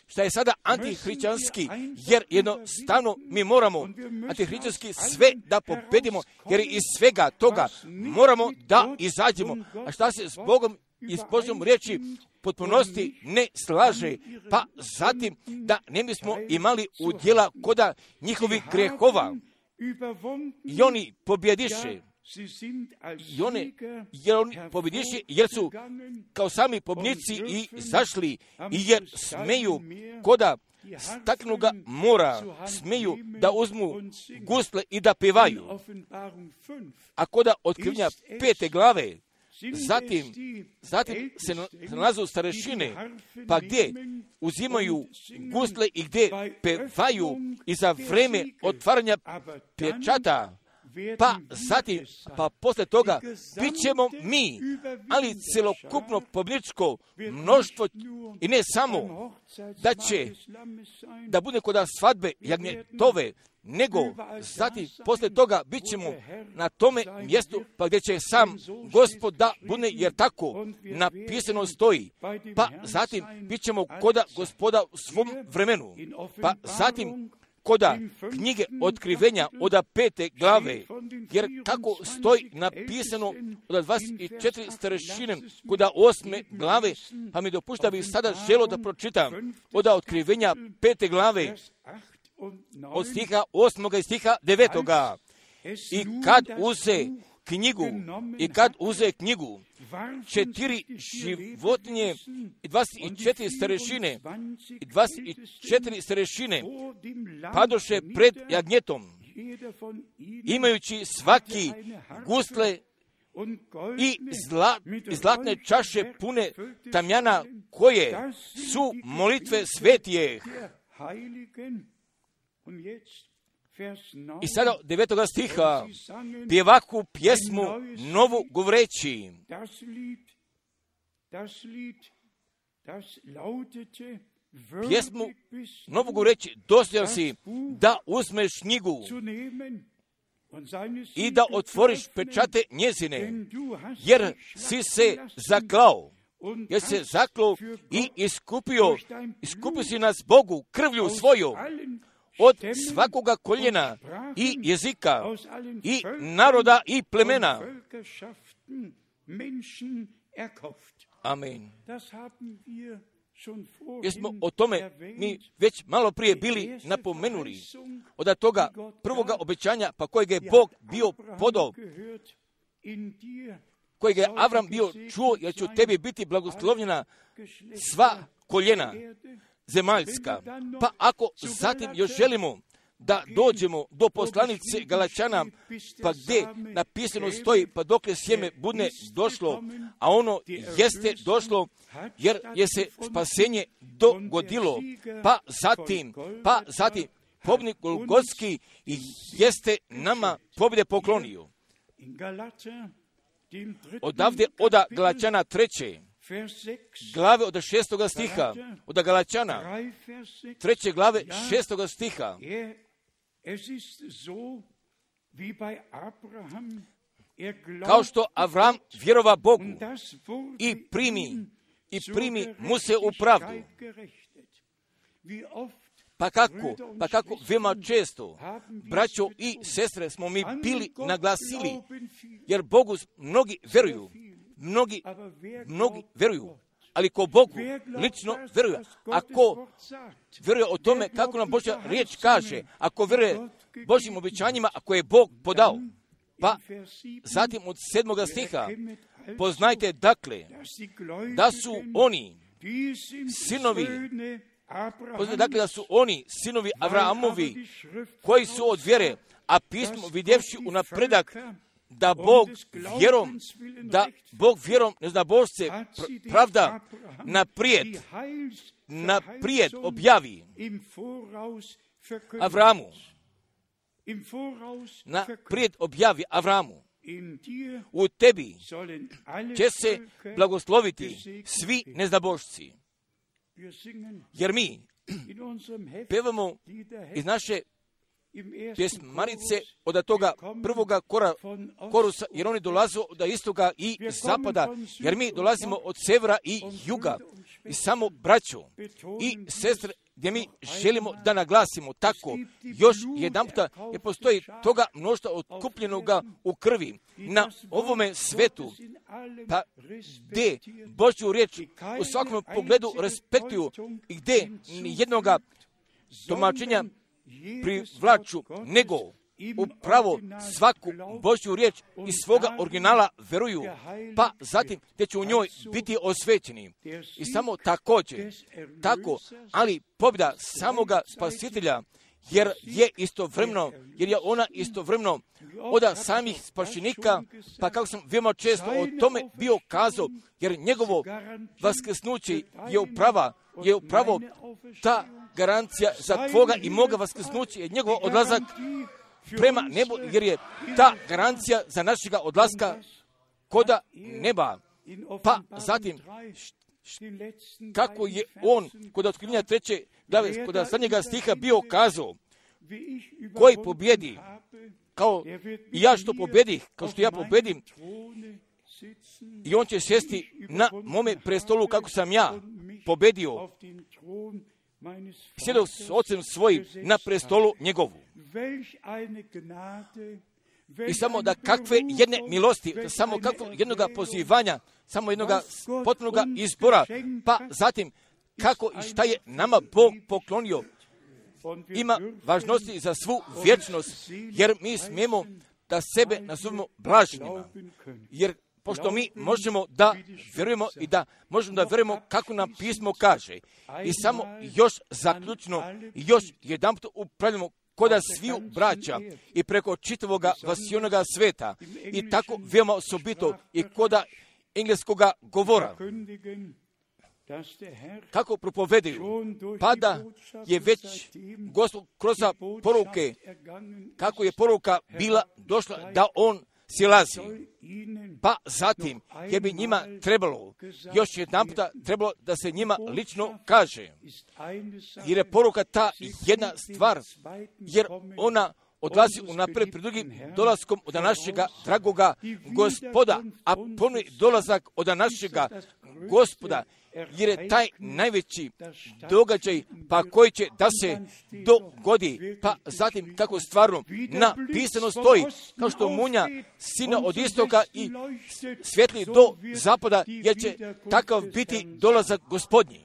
[SPEAKER 1] što je sada antihrišćanski, jer jednostavno mi moramo antihrišćanski sve da pobedimo, jer iz svega toga moramo da izađemo. A šta se s Bogom i s Božjom riječi potpunosti ne slaže, pa zatim da ne bismo imali udjela koda njihovih grehova. I oni pobjediše. I one, jer oni pobjediše, jer su kao sami pobjednici i zašli, i jer smeju koda staklenoga mora, smeju da uzmu gusle i da pevaju. A koda otkrivenja pete glave Zatim, zatim se nalazu starešine, pa gdje uzimaju gusle i gdje pevaju i za vreme otvaranja pečata, pa zatim, pa posle toga, bit ćemo mi, ali celokupno pobjedničko mnoštvo, i ne samo da će da bude kod svadbe jagnjetove, nego zatim posle toga bit ćemo na tome mjestu pa gdje će sam Gospod da bude, jer tako napisano stoji. Pa zatim bit ćemo koda Gospoda u svom vremenu. Pa zatim koda knjige otkrivenja od pete glave, jer tako stoji napisano od dvadeset četiri starešine koda osme glave, pa mi dopušta bih sada želo da pročitam od otkrivenja pete glave, od stiha osmoga i stiha devetoga. I kad uze knjigu, i kad uze knjigu, četiri životinje i dvadeset četiri starešine, i dvadeset četiri starešine padoše pred jagnjetom, imajući svaki gusle i zla, zlatne čaše pune tamjana, koje su molitve svetijeh. I sada devetoga stiha, pjevaku pjesmu novu govoreći. Pjesmu novu govoreći, dostojan si da uzmeš knjigu i da otvoriš pečate njezine, jer si se zaklao. Jer se zaklao i iskupio, iskupio si nas Bogu krvlju svoju od svakoga koljena i jezika i naroda i plemena. Amen. Jer smo o tome mi već malo prije bili napomenuli od toga prvoga obećanja, pa kojeg je Bog bio podao, kojeg je Avram bio čuo, jer će u tebi biti blagoslovljena sva koljena zemaljska. Pa ako zatim još želimo da dođemo do poslanice Galačana, pa gdje napisano stoji, pa dokle sjeme bude došlo, a ono jeste došlo, jer je se spasenje dogodilo, pa zatim, pa zatim pobjednik Golgotski jeste nama pobjede poklonio. Odavde oda Galačana treće glave od šestoga stiha, od Galačana treće glave šestoga stiha. Kao što Avram vjerova Bogu i primi, i primi mu se u pravdu. Pa kako, pa kako veoma često, braćo i sestre, smo mi bili naglasili, jer Bogu mnogi veruju, mnogi, mnogi veruju, ali ko Bogu lično veruje, ako veruje o tome kako nam Božja riječ kaže, ako veruje Božjim obećanjima, ako je Bog podao, pa zatim od sedmoga stiha, poznajte dakle, da su oni sinovi, poznajte dakle da su oni sinovi Avrahamovi, koji su od vjere, a pismo vidjevši u napredak, da Bog vjerom, da Bog vjerom, ne zna Božce, pravda naprijed, naprijed objavi Avramu, naprijed objavi Avramu. U tebi će se blagosloviti svi neznabošci. Jer mi pevamo iz naše pjesmarice od toga prvoga kora, korusa, jer oni dolaze od istoga i zapada, jer mi dolazimo od severa i juga. I samo braćo i sestre, gdje mi želimo da naglasimo tako, još jedan puta, jer postoji toga mnoštva otkupljenoga u krvi na ovome svetu, pa gdje Božju riječ u svakom pogledu respektuju i gdje jednoga tumačenja privlaču, nego upravo svaku Božju riječ iz svoga originala veruju, pa zatim te će u njoj biti osvećeni. I samo također, tako, ali pobjeda samoga Spasitelja jer je istovremeno, jer je ona istovremeno od samih spašenika, pa kako sam veoma često o tome bio kazao, jer njegovo vaskrsnuće je uprava, je upravo ta garancija za tvoga i moga vaskrsnuća, je njegov odlazak prema nebu, jer je ta garancija za našega odlaska koda neba. Pa zatim, kako je on kod otkrivenja treće glave, kod zadnjega stiha bio kazao, koji pobjedi, kao i ja što pobjedih, kao što ja pobjedim, i on će sjesti na mome prestolu kako sam ja pobjedio, sjedao s ocem svojim na prestolu njegovu. I samo da kakve jedne milosti, samo kakvo jednoga pozivanja, samo jednoga potpunoga izbora, pa zatim kako i šta je nama Bog poklonio, ima važnosti za svu vječnost, jer mi smijemo da sebe nazovemo blaženima, jer pošto mi možemo da vjerujemo i da možemo da vjerujemo kako nam pismo kaže. I samo još zaključno, još jedanput upravljamo koda sviju braća i preko čitavoga vasionoga sveta i tako veoma osobito i koda engleskoga govora. Kako propovedaju, pa da je već Gospod kroz poruke, kako je poruka bila došla da on silazi. Pa zatim, jer bi njima trebalo, još jedan puta trebalo da se njima lično kaže. Jer je poruka ta jedna stvar, jer ona odlazi unaprijed pred drugim dolaskom od našega dragoga Gospoda, a ponovni dolazak od našega Gospoda, jer je taj najveći događaj, pa koji će da se dogodi, pa zatim kako stvarno napisano stoji, kao što munja sina od istoka i svjetli do zapada, jer će takav biti dolazak Gospodnji.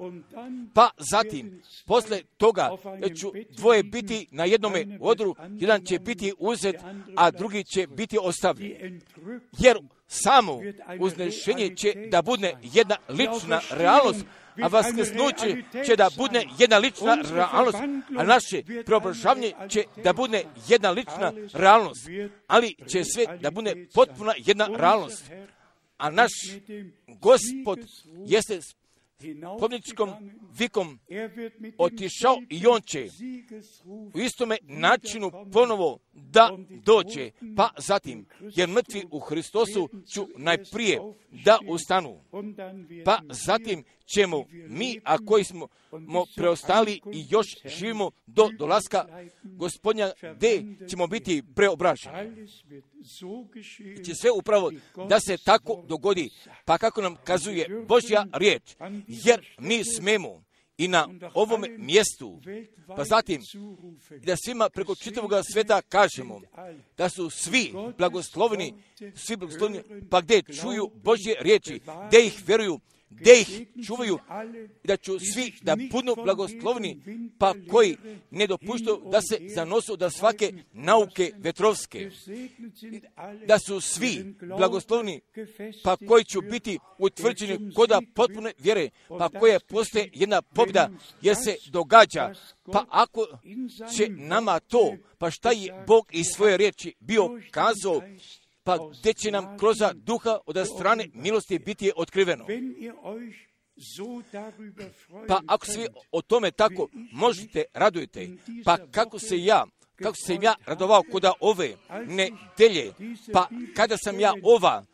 [SPEAKER 1] Pa zatim, posle toga, jer ću dvoje biti na jednome odru, jedan će biti uzet, a drugi će biti ostavljen. Jer samo uznešenje će da bude jedna lična realnost, a vaskrsnuće će da bude jedna lična realnost, a naše preobražavanje će da bude jedna lična realnost, ali će sve da bude potpuna jedna realnost. A naš Gospod jeste s pobjedničkom vikom otišao i on će u istome načinu ponovo da dođe, pa zatim, jer mrtvi u Hristosu ću najprije da ustanu, pa zatim ćemo mi, a koji smo preostali i još živimo do dolaska Gospodnja, gdje ćemo biti preobraženi. I će sve upravo da se tako dogodi, pa kako nam kazuje Božja riječ, jer mi smemo i na ovom mjestu, pa zatim da svima preko čitavog sveta kažemo da su svi blagosloveni, svi blagosloveni, pa gdje čuju Božje riječi, gdje ih vjeruju, gdje ih čuvaju, da ću svi da budu blagoslovni, pa koji ne dopuštaju da se zanosu da svake nauke vetrovske, da su svi blagoslovni, pa koji će biti utvrđeni koda potpune vjere, pa koja postoje jedna pobjeda, jer se događa, pa ako će nama to, pa šta je Bog iz svoje riječi bio kazao, pa gdje će nam kroz duha od strane milosti biti otkriveno. Pa ako se o tome tako možete, radujte, pa kako se ja, kako se ja radovao koda ove nedelje, pa kada sam ja ova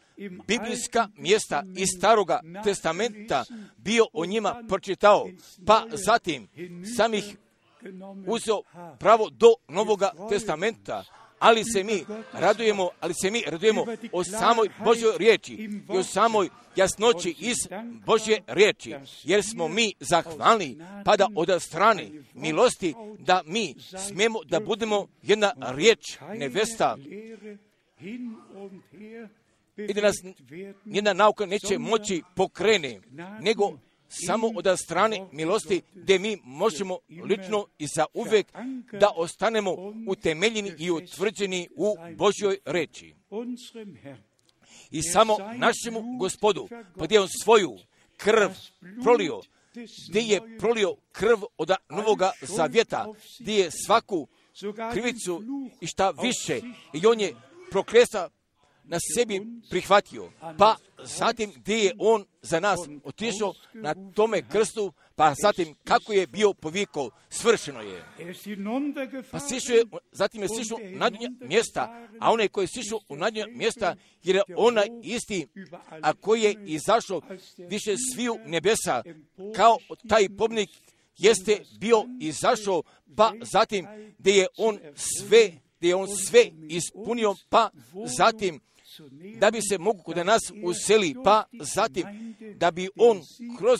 [SPEAKER 1] biblijska mjesta iz Staroga testamenta bio o njima pročitao, pa zatim sam ih uzeo pravo do Novoga testamenta, ali se mi radujemo, ali se mi radujemo o samoj Božjoj riječi i o samoj jasnoći iz Božje riječi, jer smo mi zahvalni, pa da od strane milosti da mi smijemo da budemo jedna riječ nevesta i da nas jedna nauka neće moći pokrene, nego samo od strane milosti, gdje mi možemo lično i za uvijek da ostanemo utemeljeni i utvrđeni u Božjoj reči. I samo našemu Gospodu, pa gdje on svoju krv prolio, gdje je prolio krv od novoga zavjeta, gdje je svaku krivicu i šta više, i on je prokletstvo na sebi prihvatio. Pa zatim gdje je on za nas otišao na tome krstu, pa zatim kako je bio povikao, svršeno je. Pa sišao je, zatim je sišao na dnje mjesta, a onaj koji je sišao u nadnje mjesta, jer je onaj isti, a koji je izašao više sviju nebesa, kao taj pobjednik jeste bio izašao, pa zatim gdje je on sve, gdje je on sve ispunio, pa zatim da bi se mogu kod nas useli, pa zatim da bi on kroz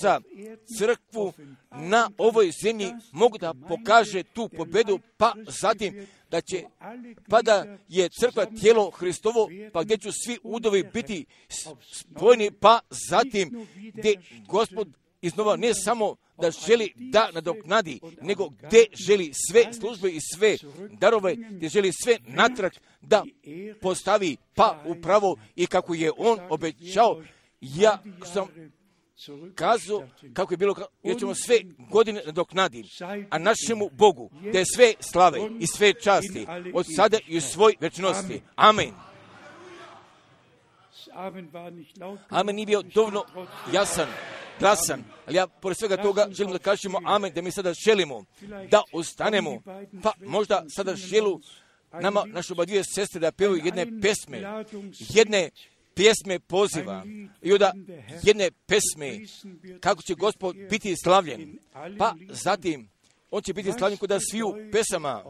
[SPEAKER 1] crkvu na ovoj zemlji mogu da pokaže tu pobjedu, pa zatim da će, pa da je crkva tijelo Hristovo, pa gdje će svi udovi biti spojeni, pa zatim gdje Gospod iznova ne samo da želi da nadoknadi, nego gdje želi sve službe i sve darove, gdje želi sve natrag da postavi, pa upravo i kako je on obećao. Ja sam kazao kako je bilo, jer ćemo sve godine nadoknaditi, a našemu Bogu da je sve slave i sve časti od sada i u svoj večnosti. Amen. Amen nije bio dovoljno jasan, glasan, ali ja pored svega toga želim da kažemo amen, da mi sada želimo da ostanemo, pa možda sada želu nama, naše oba dvije sestre, da pevaju jedne pesme, jedne pjesme poziva i onda jedne pesme kako će Gospod biti slavljen, pa zatim on će biti slavljen kod sviju pesama,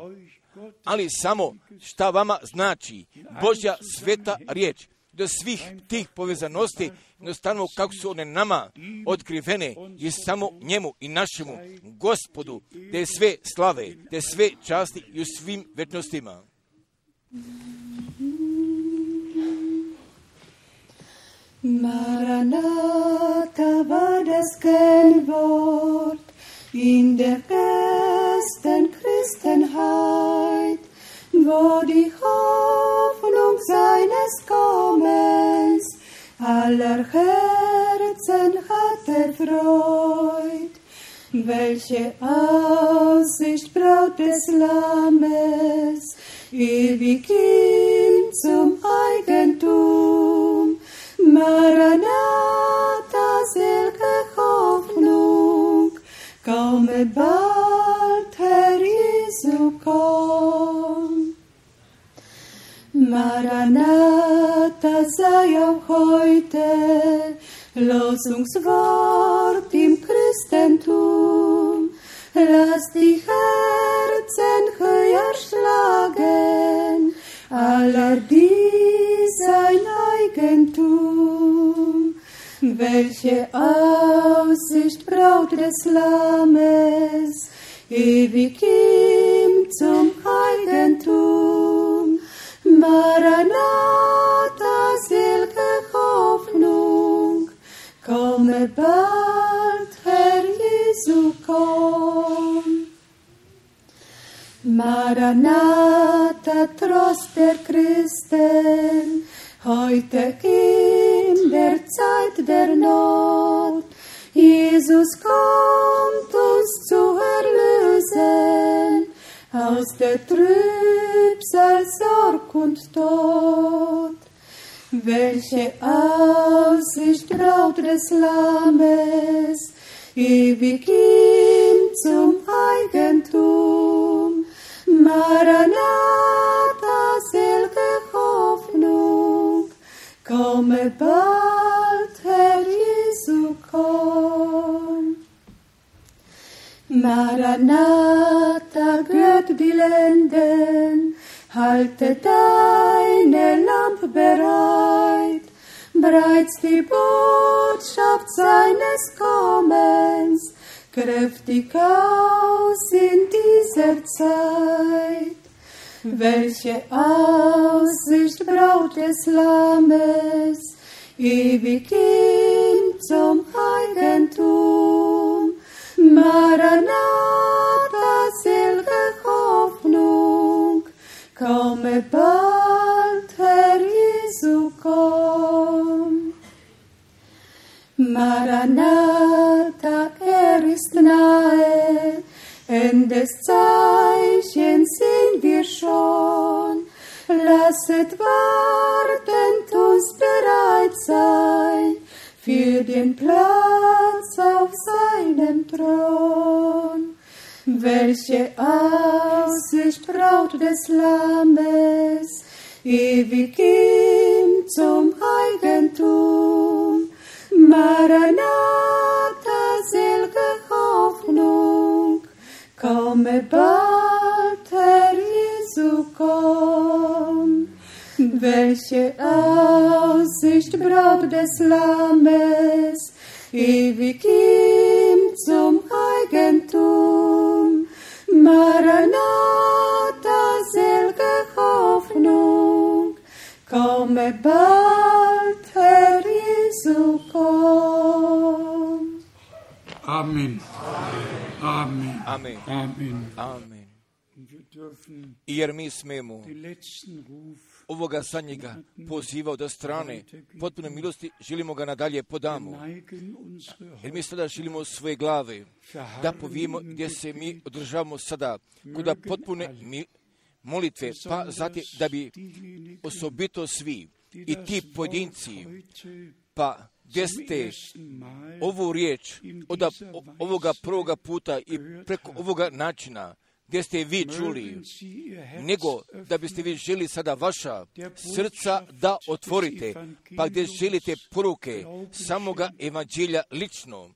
[SPEAKER 1] ali samo šta vama znači Božja sveta riječ, do svih tih povezanosti, jednostavno kako su one nama otkrivene i samo njemu i našemu Gospodu, da je sve slave, da je sve časti i u svim večnostima.
[SPEAKER 2] Maranatha war das Kennwort in der ersten Christenheit, wo die Hoffnung seines Kommens aller Herzen hat erfreut. Welche Aussicht Braut des Lammes, ewig ihm zum Eigentum. Maranatha, selge Hoffnung, komme bald, Herr Jesu, komm. Maranatha, sei auch heute Losungswort im Christentum. Lass die Herzen höher schlagen, aller die sein Eigentum. Welche Aussicht Braut des Lammes, ewig ihm zum Eigentum. Maranatha, selge Hoffnung, komme bald, Herr Jesu, komm. Maranatha, Trost der Christen, heute in der Zeit der Not. Jesus kommt uns zu erlösen aus der Trübsal, Sorg und Tod. Welche Aussicht Braut des Lammes, ewig ihm zum Eigentum. Maranatha, selge Hoffnung, komme bald, Herr Jesu, komm. Maranatha, rührt die Lenden, halte deine Lampe bereit, bereits die Botschaft seines Kommens, kräftig aus in dieser Zeit. Welche Aussicht Braut des Lammes, ewig ihm zum Eigentum. Maranatha, selge Hoffnung, komme bald, Herr Jesu, komm. Maranatha, er Welches Zeichen sind wir schon? Lasset wartend uns bereit sein für den Platz auf seinem Thron. Welche Aussicht Braut des Lammes, ewig ihm zum Eigentum. Maranatha, selge Hoffnung, komme bald, Herr Jesu, komm. Welche Aussicht Braut des Lammes, ewig ihm zum Eigentum. Maranatha, selge Hoffnung, komme bald, Herr Jesu, komm.
[SPEAKER 3] Amen. Amen.
[SPEAKER 1] Amen.
[SPEAKER 3] Amen.
[SPEAKER 1] Amen.
[SPEAKER 3] Wir dürfen
[SPEAKER 1] Jer mi smemo
[SPEAKER 3] den letzten Ruf
[SPEAKER 1] ovoga zadnjega poziva od strane potpune milosti, želimo ga nadalje podamo.
[SPEAKER 3] neigen unsere
[SPEAKER 1] Jer mi sada želimo svoje glave da povijemo gdje se mi održavamo sada, kuda potpune mi, molitve, pa zatim da bi osobito svi i ti pojedinci, pa gdje ste ovu riječ od ovoga prvoga puta i preko ovoga načina, gdje ste vi čuli, nego da biste vi želi sada vaša srca da otvorite, pa gdje želite poruke samoga evanđelja lično,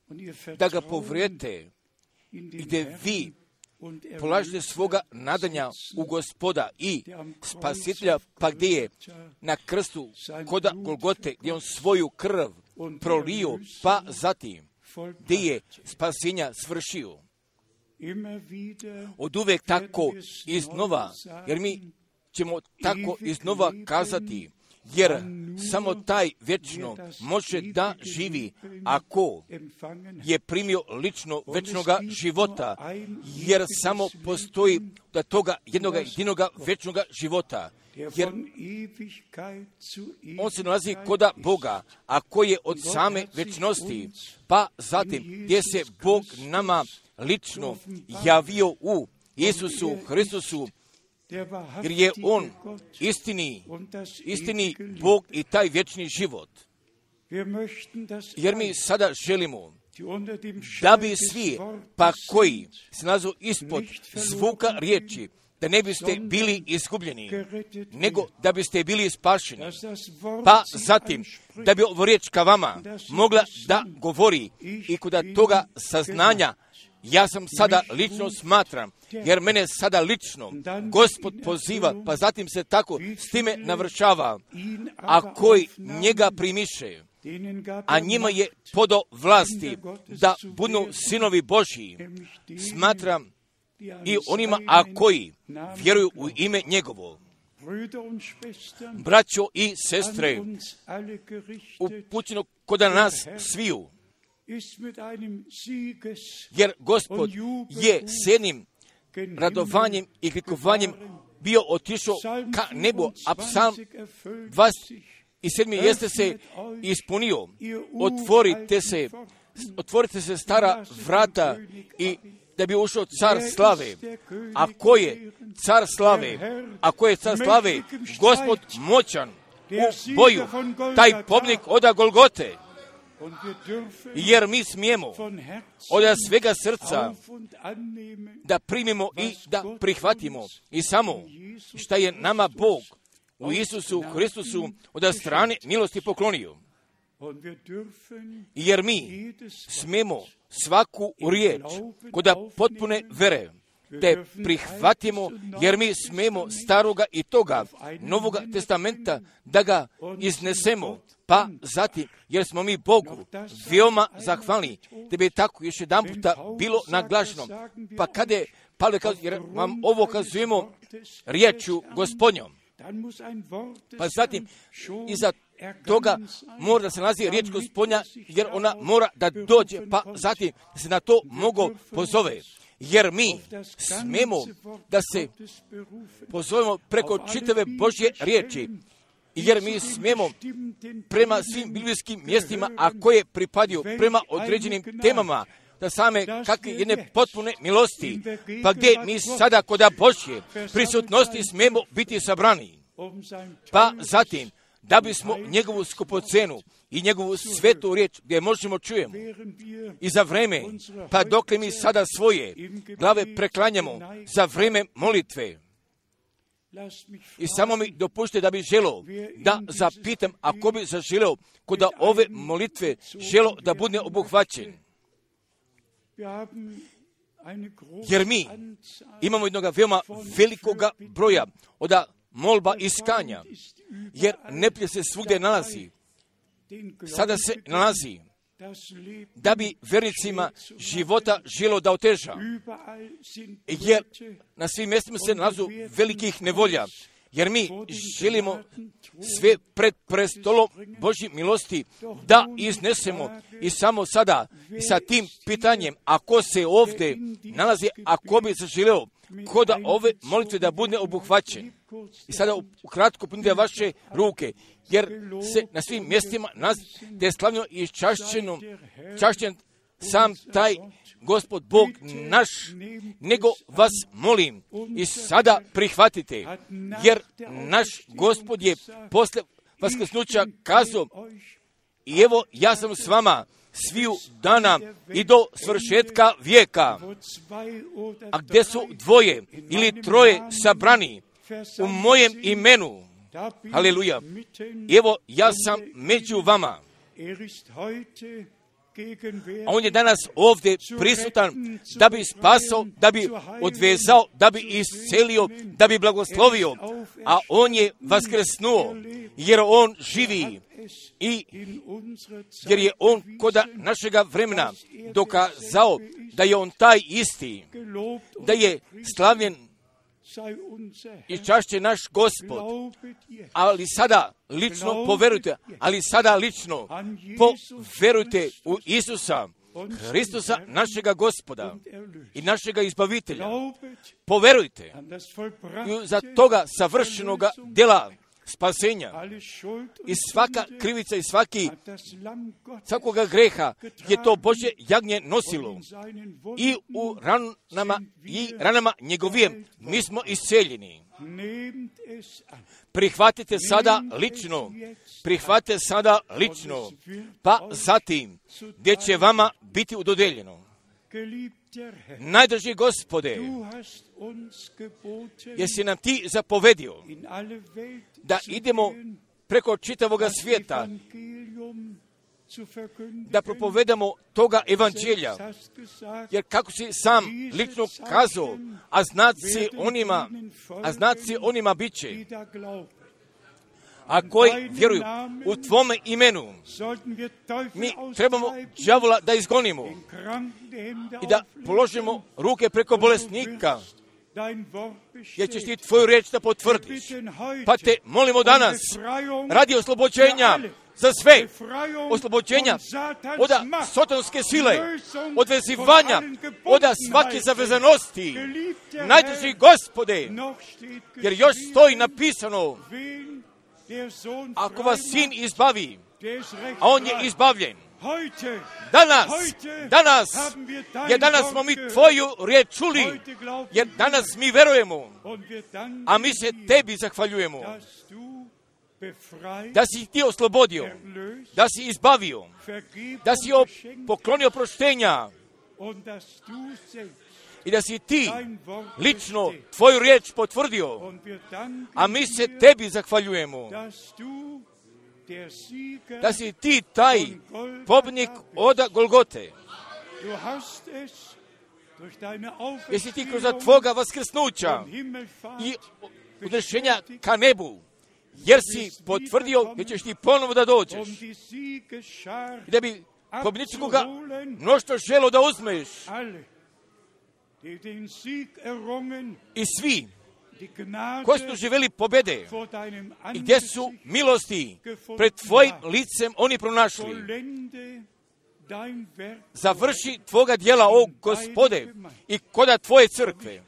[SPEAKER 1] da ga povrijete, gdje vi polažete svoga nadanja u Gospoda i Spasitelja, pa gdje je na krstu koda Golgote, gdje on svoju krv prolio, pa zatim gdje je spasenja svršio. Od uvek tako iznova, jer mi ćemo tako iznova kazati, jer samo taj vječno može da živi ako je primio lično vječnoga života, jer samo postoji da toga jednog jedinoga vječnoga života, jer on se nalazi koda Boga, a koji je od same vječnosti, pa zatim gdje se Bog nama lično javio u Isusu Hristusu, jer je on istini, istini Bog i taj vječni život. Jer mi sada želimo da bi svi, pa koji se nalazu ispod zvuka riječi, da ne biste bili izgubljeni, nego da biste bili spašeni. Pa zatim, da bi ovo riječ ka vama mogla da govori i kuda toga saznanja, ja sam sada lično smatram, jer mene sada lično Gospod poziva, pa zatim se tako s time navršava, a koji njega primiše, a njima je podo vlasti da budu sinovi Božji, smatram i onima, a koji vjeruju u ime njegovo. Braćo i sestre, upućeno kod nas sviju, jer Gospod je s jednim radovanjem i klikovanjem bio otišao ka nebu, a psalm dvadeset sedam jeste se ispunio. Otvorite se, otvorite se stara vrata i da bi ušao car slave. A ko je car slave? A ko je car slave? Gospod moćan u boju, taj pobnik oda Golgote. Jer mi smijemo od svega srca da primimo i da prihvatimo i samo šta je nama Bog u Isusu Hristusu od strane milosti poklonio. Jer mi smijemo svaku riječ koda potpune vere te prihvatimo, jer mi smijemo staroga i toga Novoga testamenta da ga iznesemo, pa zatim, jer smo mi Bogu veoma zahvalni, da bi tako još jedan puta bilo naglašeno. Pa kada je Pavle kazao, jer vam ovo kazujemo riječu Gospodnjom, pa zatim iza toga mora da se nalazi riječ Gospodnja, jer ona mora da dođe, pa zatim da se na to mogu pozove. Jer mi smemo da se pozovemo preko čitave Božje riječi, jer mi smijemo prema svim biblijskim mjestima, a koje pripadaju prema određenim temama, da same kakve jedne potpune milosti, pa gdje mi sada koda Božje prisutnosti smemo biti sabrani. Pa zatim, da bismo njegovu skupocenu i njegovu svetu riječ gdje možemo čujemo i za vreme, pa dokle mi sada svoje glave preklanjamo za vreme molitve. I samo mi dopušte da bi želio da zapitam, ako bi zaželio kod ove molitve želio da bude obuhvaćen. Jer mi imamo jednog veoma velikoga broja od molba i skanja, jer neprijatelj se svugdje nalazi. Sada se nalazi da bi vernicima života želo da oteža. Jer na svim mjestima se nalazu velikih nevolja. Jer mi želimo sve pred prestolom Božje milosti da iznesemo i samo sada i sa tim pitanjem, ako se ovdje nalazi, ako bi zaželio kod ove molitve da bude obuhvaćen. I sada ukratko punite vaše ruke, jer se na svim mjestima nalazi da je slavno i čašćeno, čašćen sam taj Gospod Bog naš, nego vas molim i sada prihvatite, jer naš Gospod je posle vaskrsnuća kazao, i evo ja sam s vama sviju dana i do svršetka vijeka. A gdje su dvoje ili troje sabrani u mojem imenu, haleluja, evo ja sam među vama. A on je danas ovdje prisutan da bi spasao, da bi odvezao, da bi iscelio, da bi blagoslovio. A on je vaskrsnuo, jer on živi. I jer je on koda našega vremena dokazao da je on taj isti, da je slavljen i čašće naš Gospod. Ali sada lično poverujte, ali sada lično poverujte u Isusa, Hristusa našega Gospoda i našega izbavitelja. Poverujte za toga savršenoga djela spasenja. I svaka krivica i svaki, svakoga greha je to Božje jagnje nosilo. I u ranama, i ranama njegovijem mi smo isceljeni. Prihvatite sada lično, prihvatite sada lično, pa zatim gdje će vama biti udodeljeno. Najdrži Gospode, jesi nam ti zapovedio da idemo preko čitavoga svijeta, da propovedamo toga evanđelja, jer kako si sam lično kazao, a znaci onima, a znaci onima bit će, a koji vjeruju u tvome imenu, mi trebamo đavola da izgonimo i da položimo ruke preko bolesnika, jer ćeš ti tvoju riječ da potvrdiš. Pa te molimo danas, radi oslobođenja za sve, oslobođenja od sotonske sile, od vezivanja, od svake zavezanosti. Najdrži Gospode, jer još stoji napisano, ako vas sin izbavi, a on je izbavljen. Danas, danas, jer danas smo mi tvoju riječ čuli, jer danas mi verujemo, a mi se tebi zahvaljujemo, da si ti oslobodio, da si izbavio, da si poklonio proštenja i da si ti lično tvoju riječ potvrdio, a mi se tebi zahvaljujemo, da si ti taj pobjednik od Golgote. Jesi ti kroz tvoga vaskrsnuća i udršenja ka nebu, jer si potvrdio da ćeš ti ponovo da dođeš i da bi pobjedničkoga mnoštvo želo da uzmeš. I svi koji su živjeli pobjede i gdje su milosti pred tvojim licem oni pronašli. Završi tvoga djela, o Gospode, i koda tvoje crkve.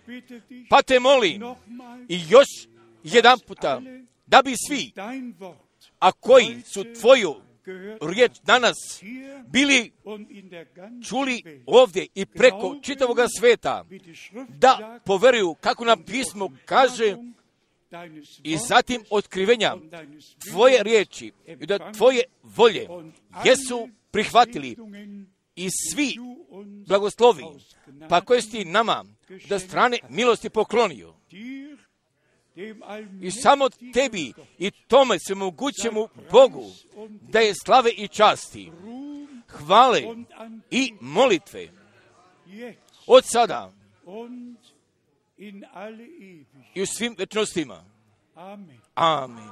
[SPEAKER 1] Pa te molim i još jedan puta, da bi svi, a koji su tvoju riječ danas bili čuli ovdje i preko čitavog sveta, da poveruju kako nam pismo kaže i zatim otkrivenja tvoje riječi i da tvoje volje jesu prihvatili i svi blagoslovi, pa koje si ti nama da strane milosti poklonio. I samo tebi i tome svemogućemu Bogu da je slave i časti, hvale i molitve od sada i u svim večnostima. Amen.